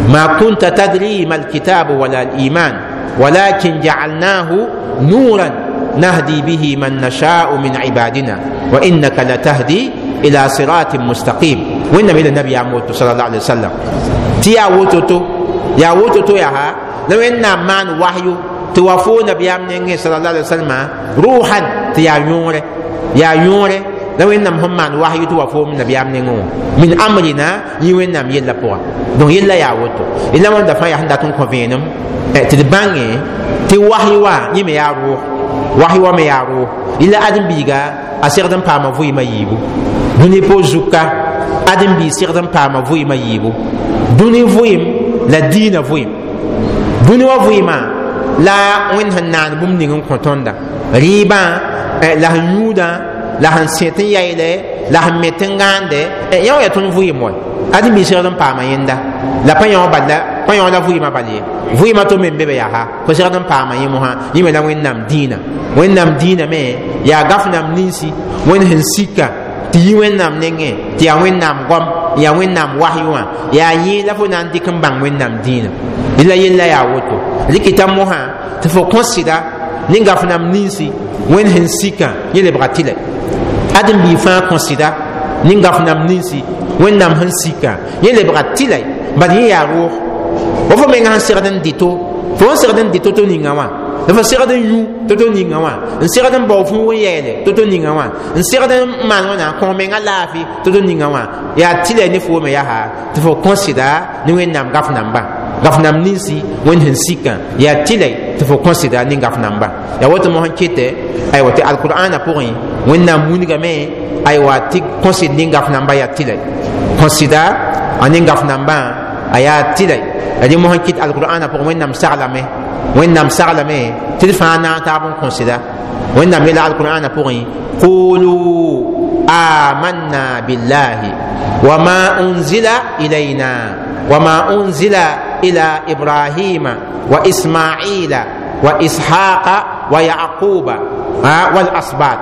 ma kunta tadri ma alkitabu wala aliman walakin jacalnahu nuran nahdi bihi man nashau min ibadina wa innaka latahdi ila siratin mustaqim. Wẽnnaam yeela nabiyaam woto sallallahu alaihi wasallam tɩ yaa wototo, yaa wototo yaa la Wẽnnaam maan wahyu tɩ wa foo nabiyaam nengẽ sallallahu alaihi wasallam ruhan, tɩ yaa yõore, yaa yõore. La wẽnnaam sẽn maan wahyu tɩ wa foom nabiyaam nengẽ wã min amrina yĩ wẽnnaam yella pʋga donc yella yaa woto la wãnda fãa yaa sẽn dat n kõ vẽenem tɩ d bãnge tɩ wahyu wã yẽ me yaa rʋʋg wahyu wã me yaa rʋʋg yella ãdem-biiga a segd n paama vʋɩɩmã yiibu dũni po zuka ãdem-biig segd n paama vʋɩɩmã yiibu dũni vʋɩɩm la diinã vʋɩɩm dũni wã vʋɩɩmã la wẽnd sẽn naan bũmb ning n kõ tõnda rɩɩbã la sẽn yũudã la sẽn sẽt n yayle la sẽn met n gãande yã wã yaa tõnd vʋɩɩm wa ãdem-biig segd n paama yẽnda la pa yã wã bal la pa yã wã la vʋɩɩmã bal ye vʋɩɩmã to me n be be yaa fo segd n paama yẽ mosã yẽ me la wẽnnaam dĩinã wẽnnaam dĩinã me yaa gaf-nam ninsi wẽnd sẽn sika tɩ yi wẽnnaam nengẽ tɩ yaa wẽnnaam goam yaa wẽnnaam wahyu wã yaa yẽ la fo na n dɩk n bãng wẽnnaam dĩinã la yella yaa woto rɩkɩta mosã tɩ fo kõ sɩda ne gaf-nam ninsi wẽnd sẽn sika yẽ lebga tɩlɛ ãdem-biig fãa kõ sɩda ne gaf-nam ninsi wẽnnaam sẽn sika yẽ lebga tɩlɛ bad yẽ yaa rʋʋg wa fo menga sẽn segd n dɩto fo n segd n dɩ to-to ninga wã la fo segd n yũ to-to ninga wã n segd n bao fuug n yɛɛle to-to ninga wã n segd n maan wãna kõ menga laafɩ to-to ninga wã yaa tɩlɛ ne foome yaa tɩ fo kõ sɩda ne wẽnnaam gaf namba gaf nam ninsi wẽnd sẽn sikã yaa tɩlɛ tɩ fo kõ sɩda ne gaf namba yaa woto mosẽn kɩtɛ aywa tɩ alqur'ana pʋgẽ wẽnnaam wilgame aywa tɩ kõ sɩd ne gaf namba yaa tɩlɛ kõ sɩda a ne gaf nambã a yaa tɩlɛ la dẽ mosẽn kɩt alqur'ana pʋgẽ wẽnnaam saglame wẽnnaam saglame tɩ d fãa naag taab n kõ sɩda wẽnnaam yeela alqur'ana pʋgẽ qulu amanna billahi wama unzila ilayna wama unzila ila ibrahima wa ismaila wa ishaqa wa yaquba والأسباط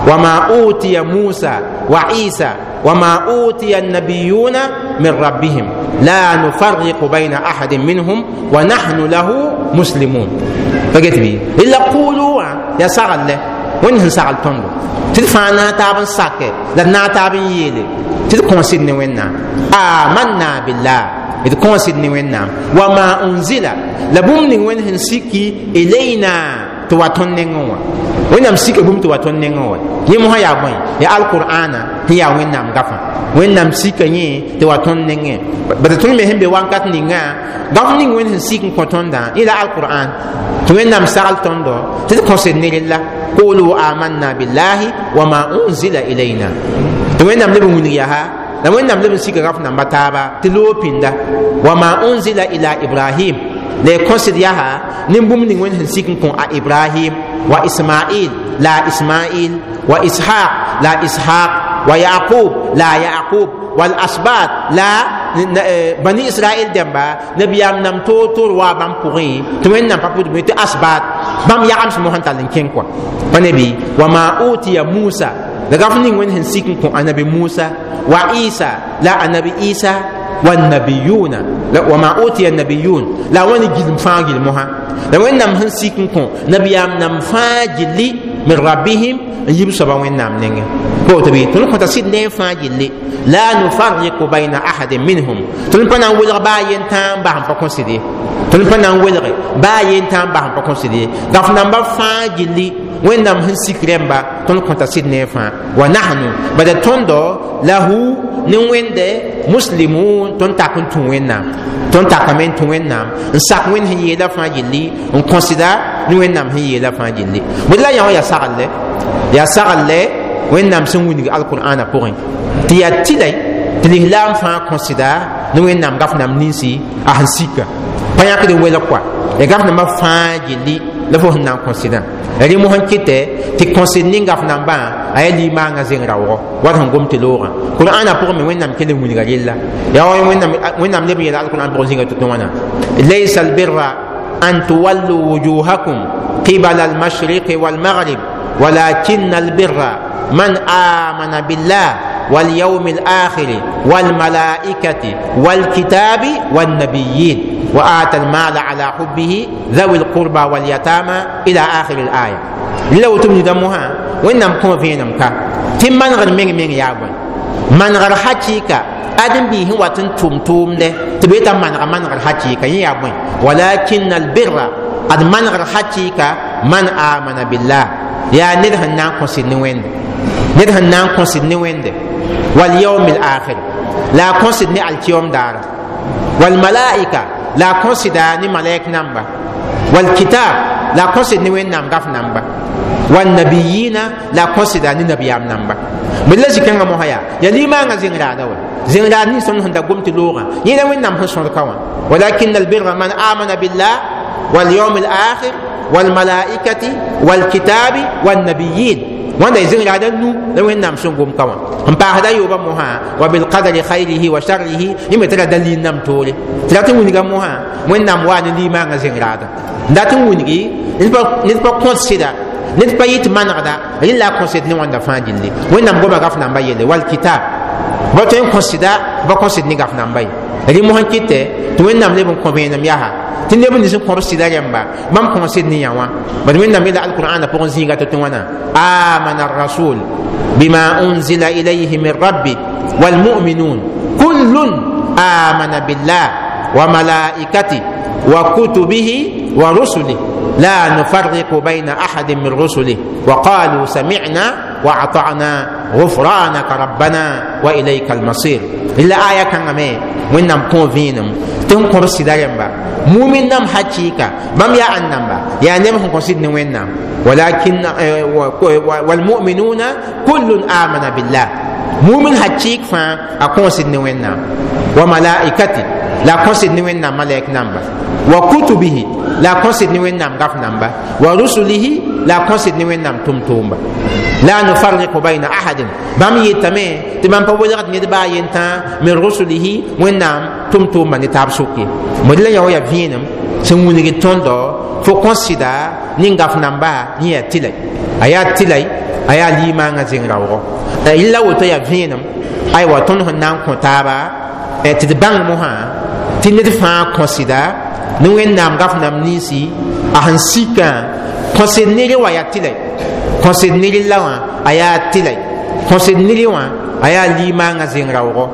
وما أوتي موسى وعيسى وما أوتي النبيون من ربهم لا نفرق بين أحد منهم ونحن له مسلمون فقلت بي إلا قولوا يا سغل له وين سغل تندو تدفع ناتاب ساكي لا ناتاب يلي تدكون سيدني وينا آمنا بالله إذ كون سيدني وينا وما أنزل لبوم وين سيكي إلينا tɩ wa tõnd nengẽ wã wẽnnaam sika bũmb tɩ wa tõnd nengẽ wã yẽ mosã yaa bõe yaa alqur'ana sẽn yaa wẽnnaam gafã wẽnnaam sika yẽ tɩ wa tõnd nengẽ bala tõnd me sẽn be wakat ninga gaf ning wẽnd sẽn sik n kõ tõndã yẽ la alqur'an tɩ wẽnnaam sagl tõndo tɩ d kõsd ne rella qulu amanna billahi wama unzila ilayna tɩ wẽnnaam leb n wilg yaa la wẽnnaam leb n sika gaf namba taaba tɩ loog pĩnda wama unzila ila ibrahim la y kõsd yaa nin bũmb ning wẽnd sẽn sik n kõ a ibrahim wa ismail la ismail wa ishaq la ishaq wa yaqub la yaqub wal asbat la bani israel dẽmba nabiyaam nam toor-toor waa bãmb pʋgẽ tɩ wẽnnaam pa pʋdb tɩ asbat bãmb yagms mosẽn tall n kẽng kɔa pa ne bɩ wa ma utiya musa la gaf ning wẽnd sẽn sik n kõ anabi musa wa isa la anabi isa والنبيون وما أوتي النبيون لا وين جلم فاجل مها لا وين نم هن سيكن كون نبيام نم فاجل من ربهم يجيب سبا وين نم نينغ كو تبي تون كنت سيد نين فاجل لا نفرق بين أحد منهم تون بنا ولغ با ينتام با هم فكون سيدي تون بنا ولغ با ينتام با هم فكون سيدي داف نمبر فاجل wẽnnaam sẽn sik rẽmba tõnd kõta sɩd ne fãa wa nahnu bada tõndo lahu ne wẽnde muslimun tõnd tak n tũ wẽnnaam tõnd takame n tũ wẽnnaam n sak wẽnd sẽn yeela fãa gilli n kõsda ne wẽnnaam sẽn yeela fãa gilli bõe la yã wã yaa saglle yaa saglle wẽnnaam sẽn wilg alqur'ana pʋgẽ tɩ yaa tɩlɛ tɩ lislaam fãa kõsda ne wẽnnaam gaf-nam ninsi a sẽn sika pa yãkd n welg kɔa ya gaf-nambã fãa gilli la fo sẽn na n kõsdã rẽ mosẽn kɩtɛ tɩ kõsd ning gaf-nambã a yaa limaangã zeng raoogɔ wat sẽn gom tɩ loogã qur'ana pʋgẽ me wẽnnaam kell n wilga rella yaa wa wẽnnaam leb n yeela alqur'an pʋgẽ zĩnga tɩ tõ wãna laysa albirra an tuwallu wujuhakum qibala almashriqi walmaghrib ولكن البر من آمن بالله واليوم الآخر والملائكة والكتاب والنبيين وآتى المال على حبه ذوي القربى واليتامى إلى آخر الآية لو تمني دمها وإنم كما فينا مكا تم من غير من من يابن من غير حقيقة أدم به واتن توم توم له تبيت من غير من غير حقيقة يابن ولكن البر أد من غير حقيقة من آمن بالله يا ندهن ناقص النوين Ned sẽn na n kõsd ne Wẽnde wal yawm al akhir la a kõsd ne alkiyom daara wal malaika la a kõsda ne malaik namba wal kitab la a kõsd ne Wẽnnaam gaf namba wal nabiyina la a kõsda ne nabiyaam namba bd la zĩ-kãngã mosã yaa ya limaangã zẽng-raada wa zẽng-raad nins tõnd sẽn da gom tɩ loogã yẽ la Wẽnnaam sẽn sõd ka wã walakin albirra man amana billah walyawm alakhir walmalaikati walkitabi wannabiyin wãnda y zẽng-raada nu la Wẽnnaam sẽn gom ka wã n paasda yoobã mosã wa bilqadri khayrihi wa sharrihi yẽ me tɩ ra dalil nam toore tɩ rat n wilga mosã Wẽnnaam waa ne limaangã zẽng-raada n dat n wilgi ned pa kõt sɩda ned pa yɩ tɩ manegda rẽ la a kõsd ne wãnda fãa gilli Wẽnnaam goma gaf namba yelle wal kitab ba tõe n kõsda ba kõsd ne gaf namba ye rẽ mosã kɩtɛ tɩ Wẽnnaam leb n kõ vẽenem yaa tɩ neb nins n kõb sɩda rẽmba bãmb kõsd ne yã wã bad Wẽnnaam yeela alqur'ana pʋgẽ zĩiga tɩ tɩ wãna amana rasul bima unzila ilayhi min rabbi walmuminun kullun amana billah wa malaikati wa kutubihi wa rusulih la nufarriqu bayna ahadin min rusulih wa qalu sami'na wa ata'na ghufranaka rabbana wa ilayka almasir la aya kãngã me Wẽnnaam kõ vẽenem tɩ n kõb sɩda rẽmba mumin nam hakɩɩka bãmb yaa ãn namba yaa neb sẽn kõsd ne Wẽnnaam walakin walmuminuna kullun amana billah mumin hakɩɩk fãa a kõsd ne Wẽnnaam wa malaikati la a kõsd ne Wẽnnaam malaik namba wa kutubihi la a kõsd ne Wẽnnaam gaf namba wa rusulihi la a kõsd ne Wẽnnaam tʋm-tʋʋmba la nufarriqu bayna ahadin bãmb yetame tɩ bãmb pa welgd ned baa yentã min rusulihi Wẽnnaam tʋm-tʋʋmba ne taab sʋk ye mod la yã wa yaa vẽenem sẽn wilgd tõndo fo kõs sɩda nin-gaf namba yẽ yaa tɩlay a yaa tɩlay a yaa limaangã zẽng raoogɔ yella woto yaa vẽenem aywa tõnd sẽn na n kõ taaba tɩ d bãng mosã tɩ ned fãa kõ sɩda ne Wẽnnaam gaf nam ninsi a sẽn sikã kõsd nere wã yaa tɩlay kõsd nere la wã a yaa tɩlay kõsd nere wã a yaa limaangã zẽng raoogɔ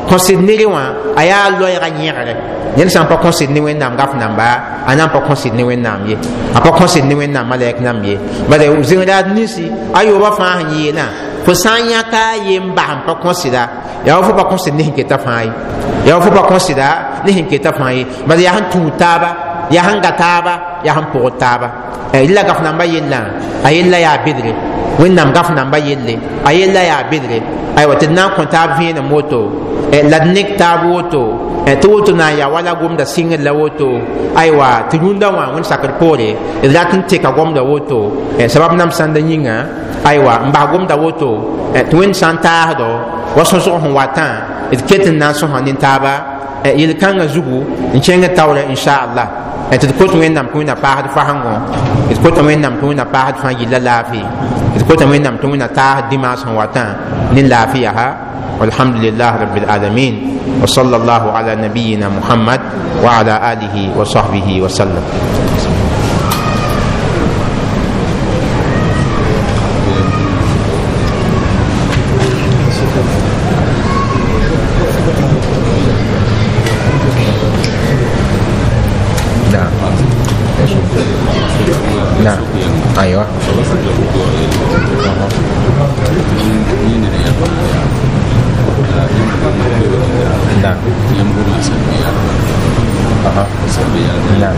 kõsd nere wã a yaa loɛɛga yẽgre ned sã n pa kõsd ne Wẽnnaam gaf namba a na n pa kõsd ne Wẽnnaam ye a pa kõsd ne Wẽnnaam malɛk namb ye bala zẽng-raad ninsi a yoobã fãa sẽn yeelã fo sã n yãka a yen bas n pa kõsda yaa wa fo pa kõsd ne sẽn keta fãa ye yaa wa fo pa kõsda ne sẽn keta fãa ye bala yaa sẽn tũud taaba yaa sẽn ga taaba yaa sẽn pʋgd taaba la gaf namba yellã a yella yaa bedre Wẽnnaam gaf namba yelle a yella yaa bedre aywa tɩ d na n kõ taab vẽenem woto la d nek taab woto tɩ woto na n yaa wala gomda sɩngr la woto aywa tɩ rũndã wã wẽnd sakr poore d rat n teka gomda woto sabab nam sãnda yĩnga aywa n bas gomda woto tɩ wẽnd sã n taasdo wa sõsg sẽn watã d ket n na n sõsa nin-taaba yel-kãngã zugu n kẽng taoorã inchallah tɩ d kot Wẽnnaam tɩ Wẽnna paasd fasengõ d kota Wẽnnaam tɩ Wẽnna paasd fãa yilla laafɩ d kota Wẽnnaam tɩ Wẽnna taasd dimaas sẽn watã ne laafɩ yaa walhamdulillah rabbil alamin wa sallallahu ala nabiyina Muhammad wa ala alihi wa sahbihi wa sallam. نعم ايوه نعم اها نعم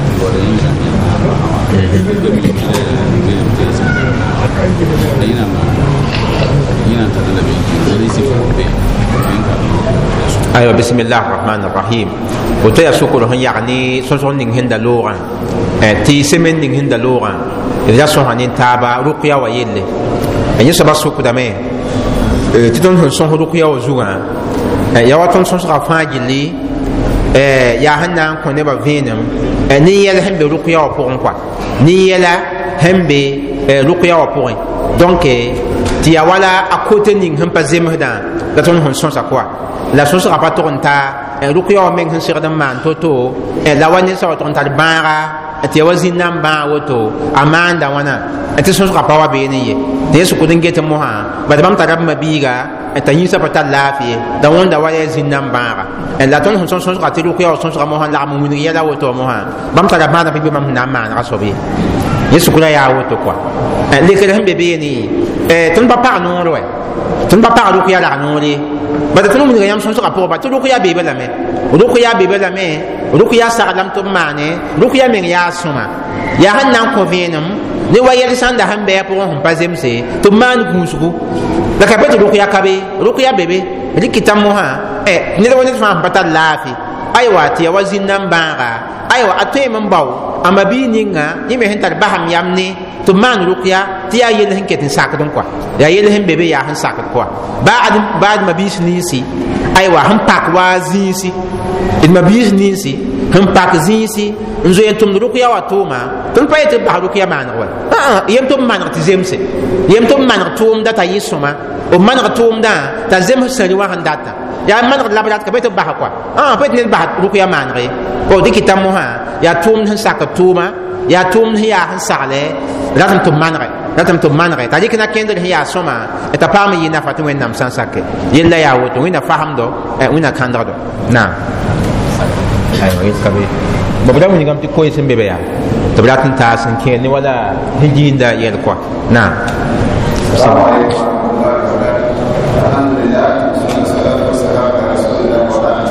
ايوه بسم الله الرحمن الرحيم woto yaa sokr sẽn yag ne sõsg ning sẽn da loogã tɩ semen ning sẽn da loogã d ra sõsa nin-taaba rʋkya wa yelle yẽ soaba sokdame tɩ tõnd sẽn sõs rʋkya wa zugã yaa wa tõnd sõsga fãa gilli yaa sẽn na n kõ nebã vẽenem nin-yɛl sẽn be rʋkya wã pʋgẽ kɔa nin-yɛla sẽn be rʋkya wã pʋgẽ donc tɩ yaa wala a kote ning sẽn pa zemsdã la tõnd sẽn sõsa kɔa la sõsga pa tʋg n taa rʋkya wã meng sẽn segd n maan to-to la wa ned sã wa tʋg n tar bãaga Tɩ ya wa zĩn-nambã woto a maanda wãna tɩ sõsgã pa wa beene ye tɩ yẽ sʋkd n get mosã bad bãmb tara b ma-biiga t'a yĩnsã pa tar laafɩ ye da wõnda wa yaa zĩn-nam bãaga. La tõnd sẽn sõs sõsga tɩ rʋkya wa sõsga mosã lagm n wilg yɛla woto mosã bãmb tara maana bɩ bãmb sẽn na n maanega soab ye yẽ sʋkra yaa woto kɔa. Lekr sẽn be beene tõnd pa pag noor wɛ, tõnd pa pag rʋkya rag noor ye, bala tõnd wilga yãmb sõsgã pʋgã ba tɩ rʋkya beebe lame, rʋkya beebe lame, rʋkya saglame tɩ b maane rʋkya meng yaa sõma yaa sẽn na n kõ vẽenem ne wa yɛl sãn da sẽn bɩ a pʋgẽ sẽn pa zemse tɩ b maan gũusgu la ka be tɩ rʋkya ka be, rʋkya be be rɩkɩta mosã ned wa ned fãa sẽn pa tar laafɩ aywa tɩ ya wa zĩn-nam bãaga aywa a tõeme n bao a ma-bii ninga yẽ me sẽn tar basam yam ne tɩ b maan rʋkya tɩ yaa yell sẽn ket n sakd n kɔa, yaa yell sẽn be be yaa sẽn sakd kɔa baa d ma-biis ninsi aywa sẽn pak wa zĩisi d ma-biis ninsi sẽn pak zĩisi n zoe n tʋmd rʋkya wa tʋʋma. Tõnd pa yetɩ b bas rʋkya maaneg wa, yem tɩ b maneg tɩ zemse, yem tɩ b maneg tʋʋmda t'a yɩ sõma, b maneg tʋʋmdã t'a zems sẽri wã sẽn data yaa manegd la b rat ka be tɩ b basa kɔa, pa tɩ ned bas rʋkya maaneg ye. Dɩkɩta mosã yaa tʋʋmd sẽn sakd tʋʋma, yaa tʋʋmd sẽn yaa sẽn sagle ratame tɩ b manege, ratame tɩ b manege t'a rɩk na kẽndr sẽn yaa sõma t'a paam n yɩ nafa tɩ Wẽnnaam sã n sake yella yaa woto. Wẽnna fasemdo, Wẽnna kãndgdo naam. Aywa, yel ka be b ra wilgame tɩ koe sẽn be be yaa tɩ b rat n taas n kẽer ne wala sẽn giinda yɛl kɔa naam. Alhamdulillah, salatu wassalam ala rasulillah wa ba'd.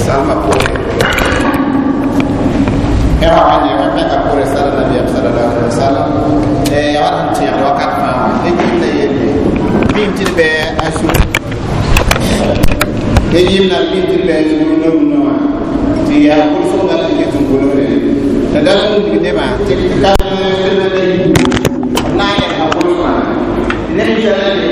Sama pore. Era wani wa me ka pore sala nabi sallallahu alaihi wasallam. Ya wa ti ya wakat ma. E yimna yelle. Bim ti be asu. E yimna bim ti be asu no no. Ti ya ko so ga ti ke tun ko le. La da sun ti de ma ti ka na ya ma ko ma. Ne ni sala ni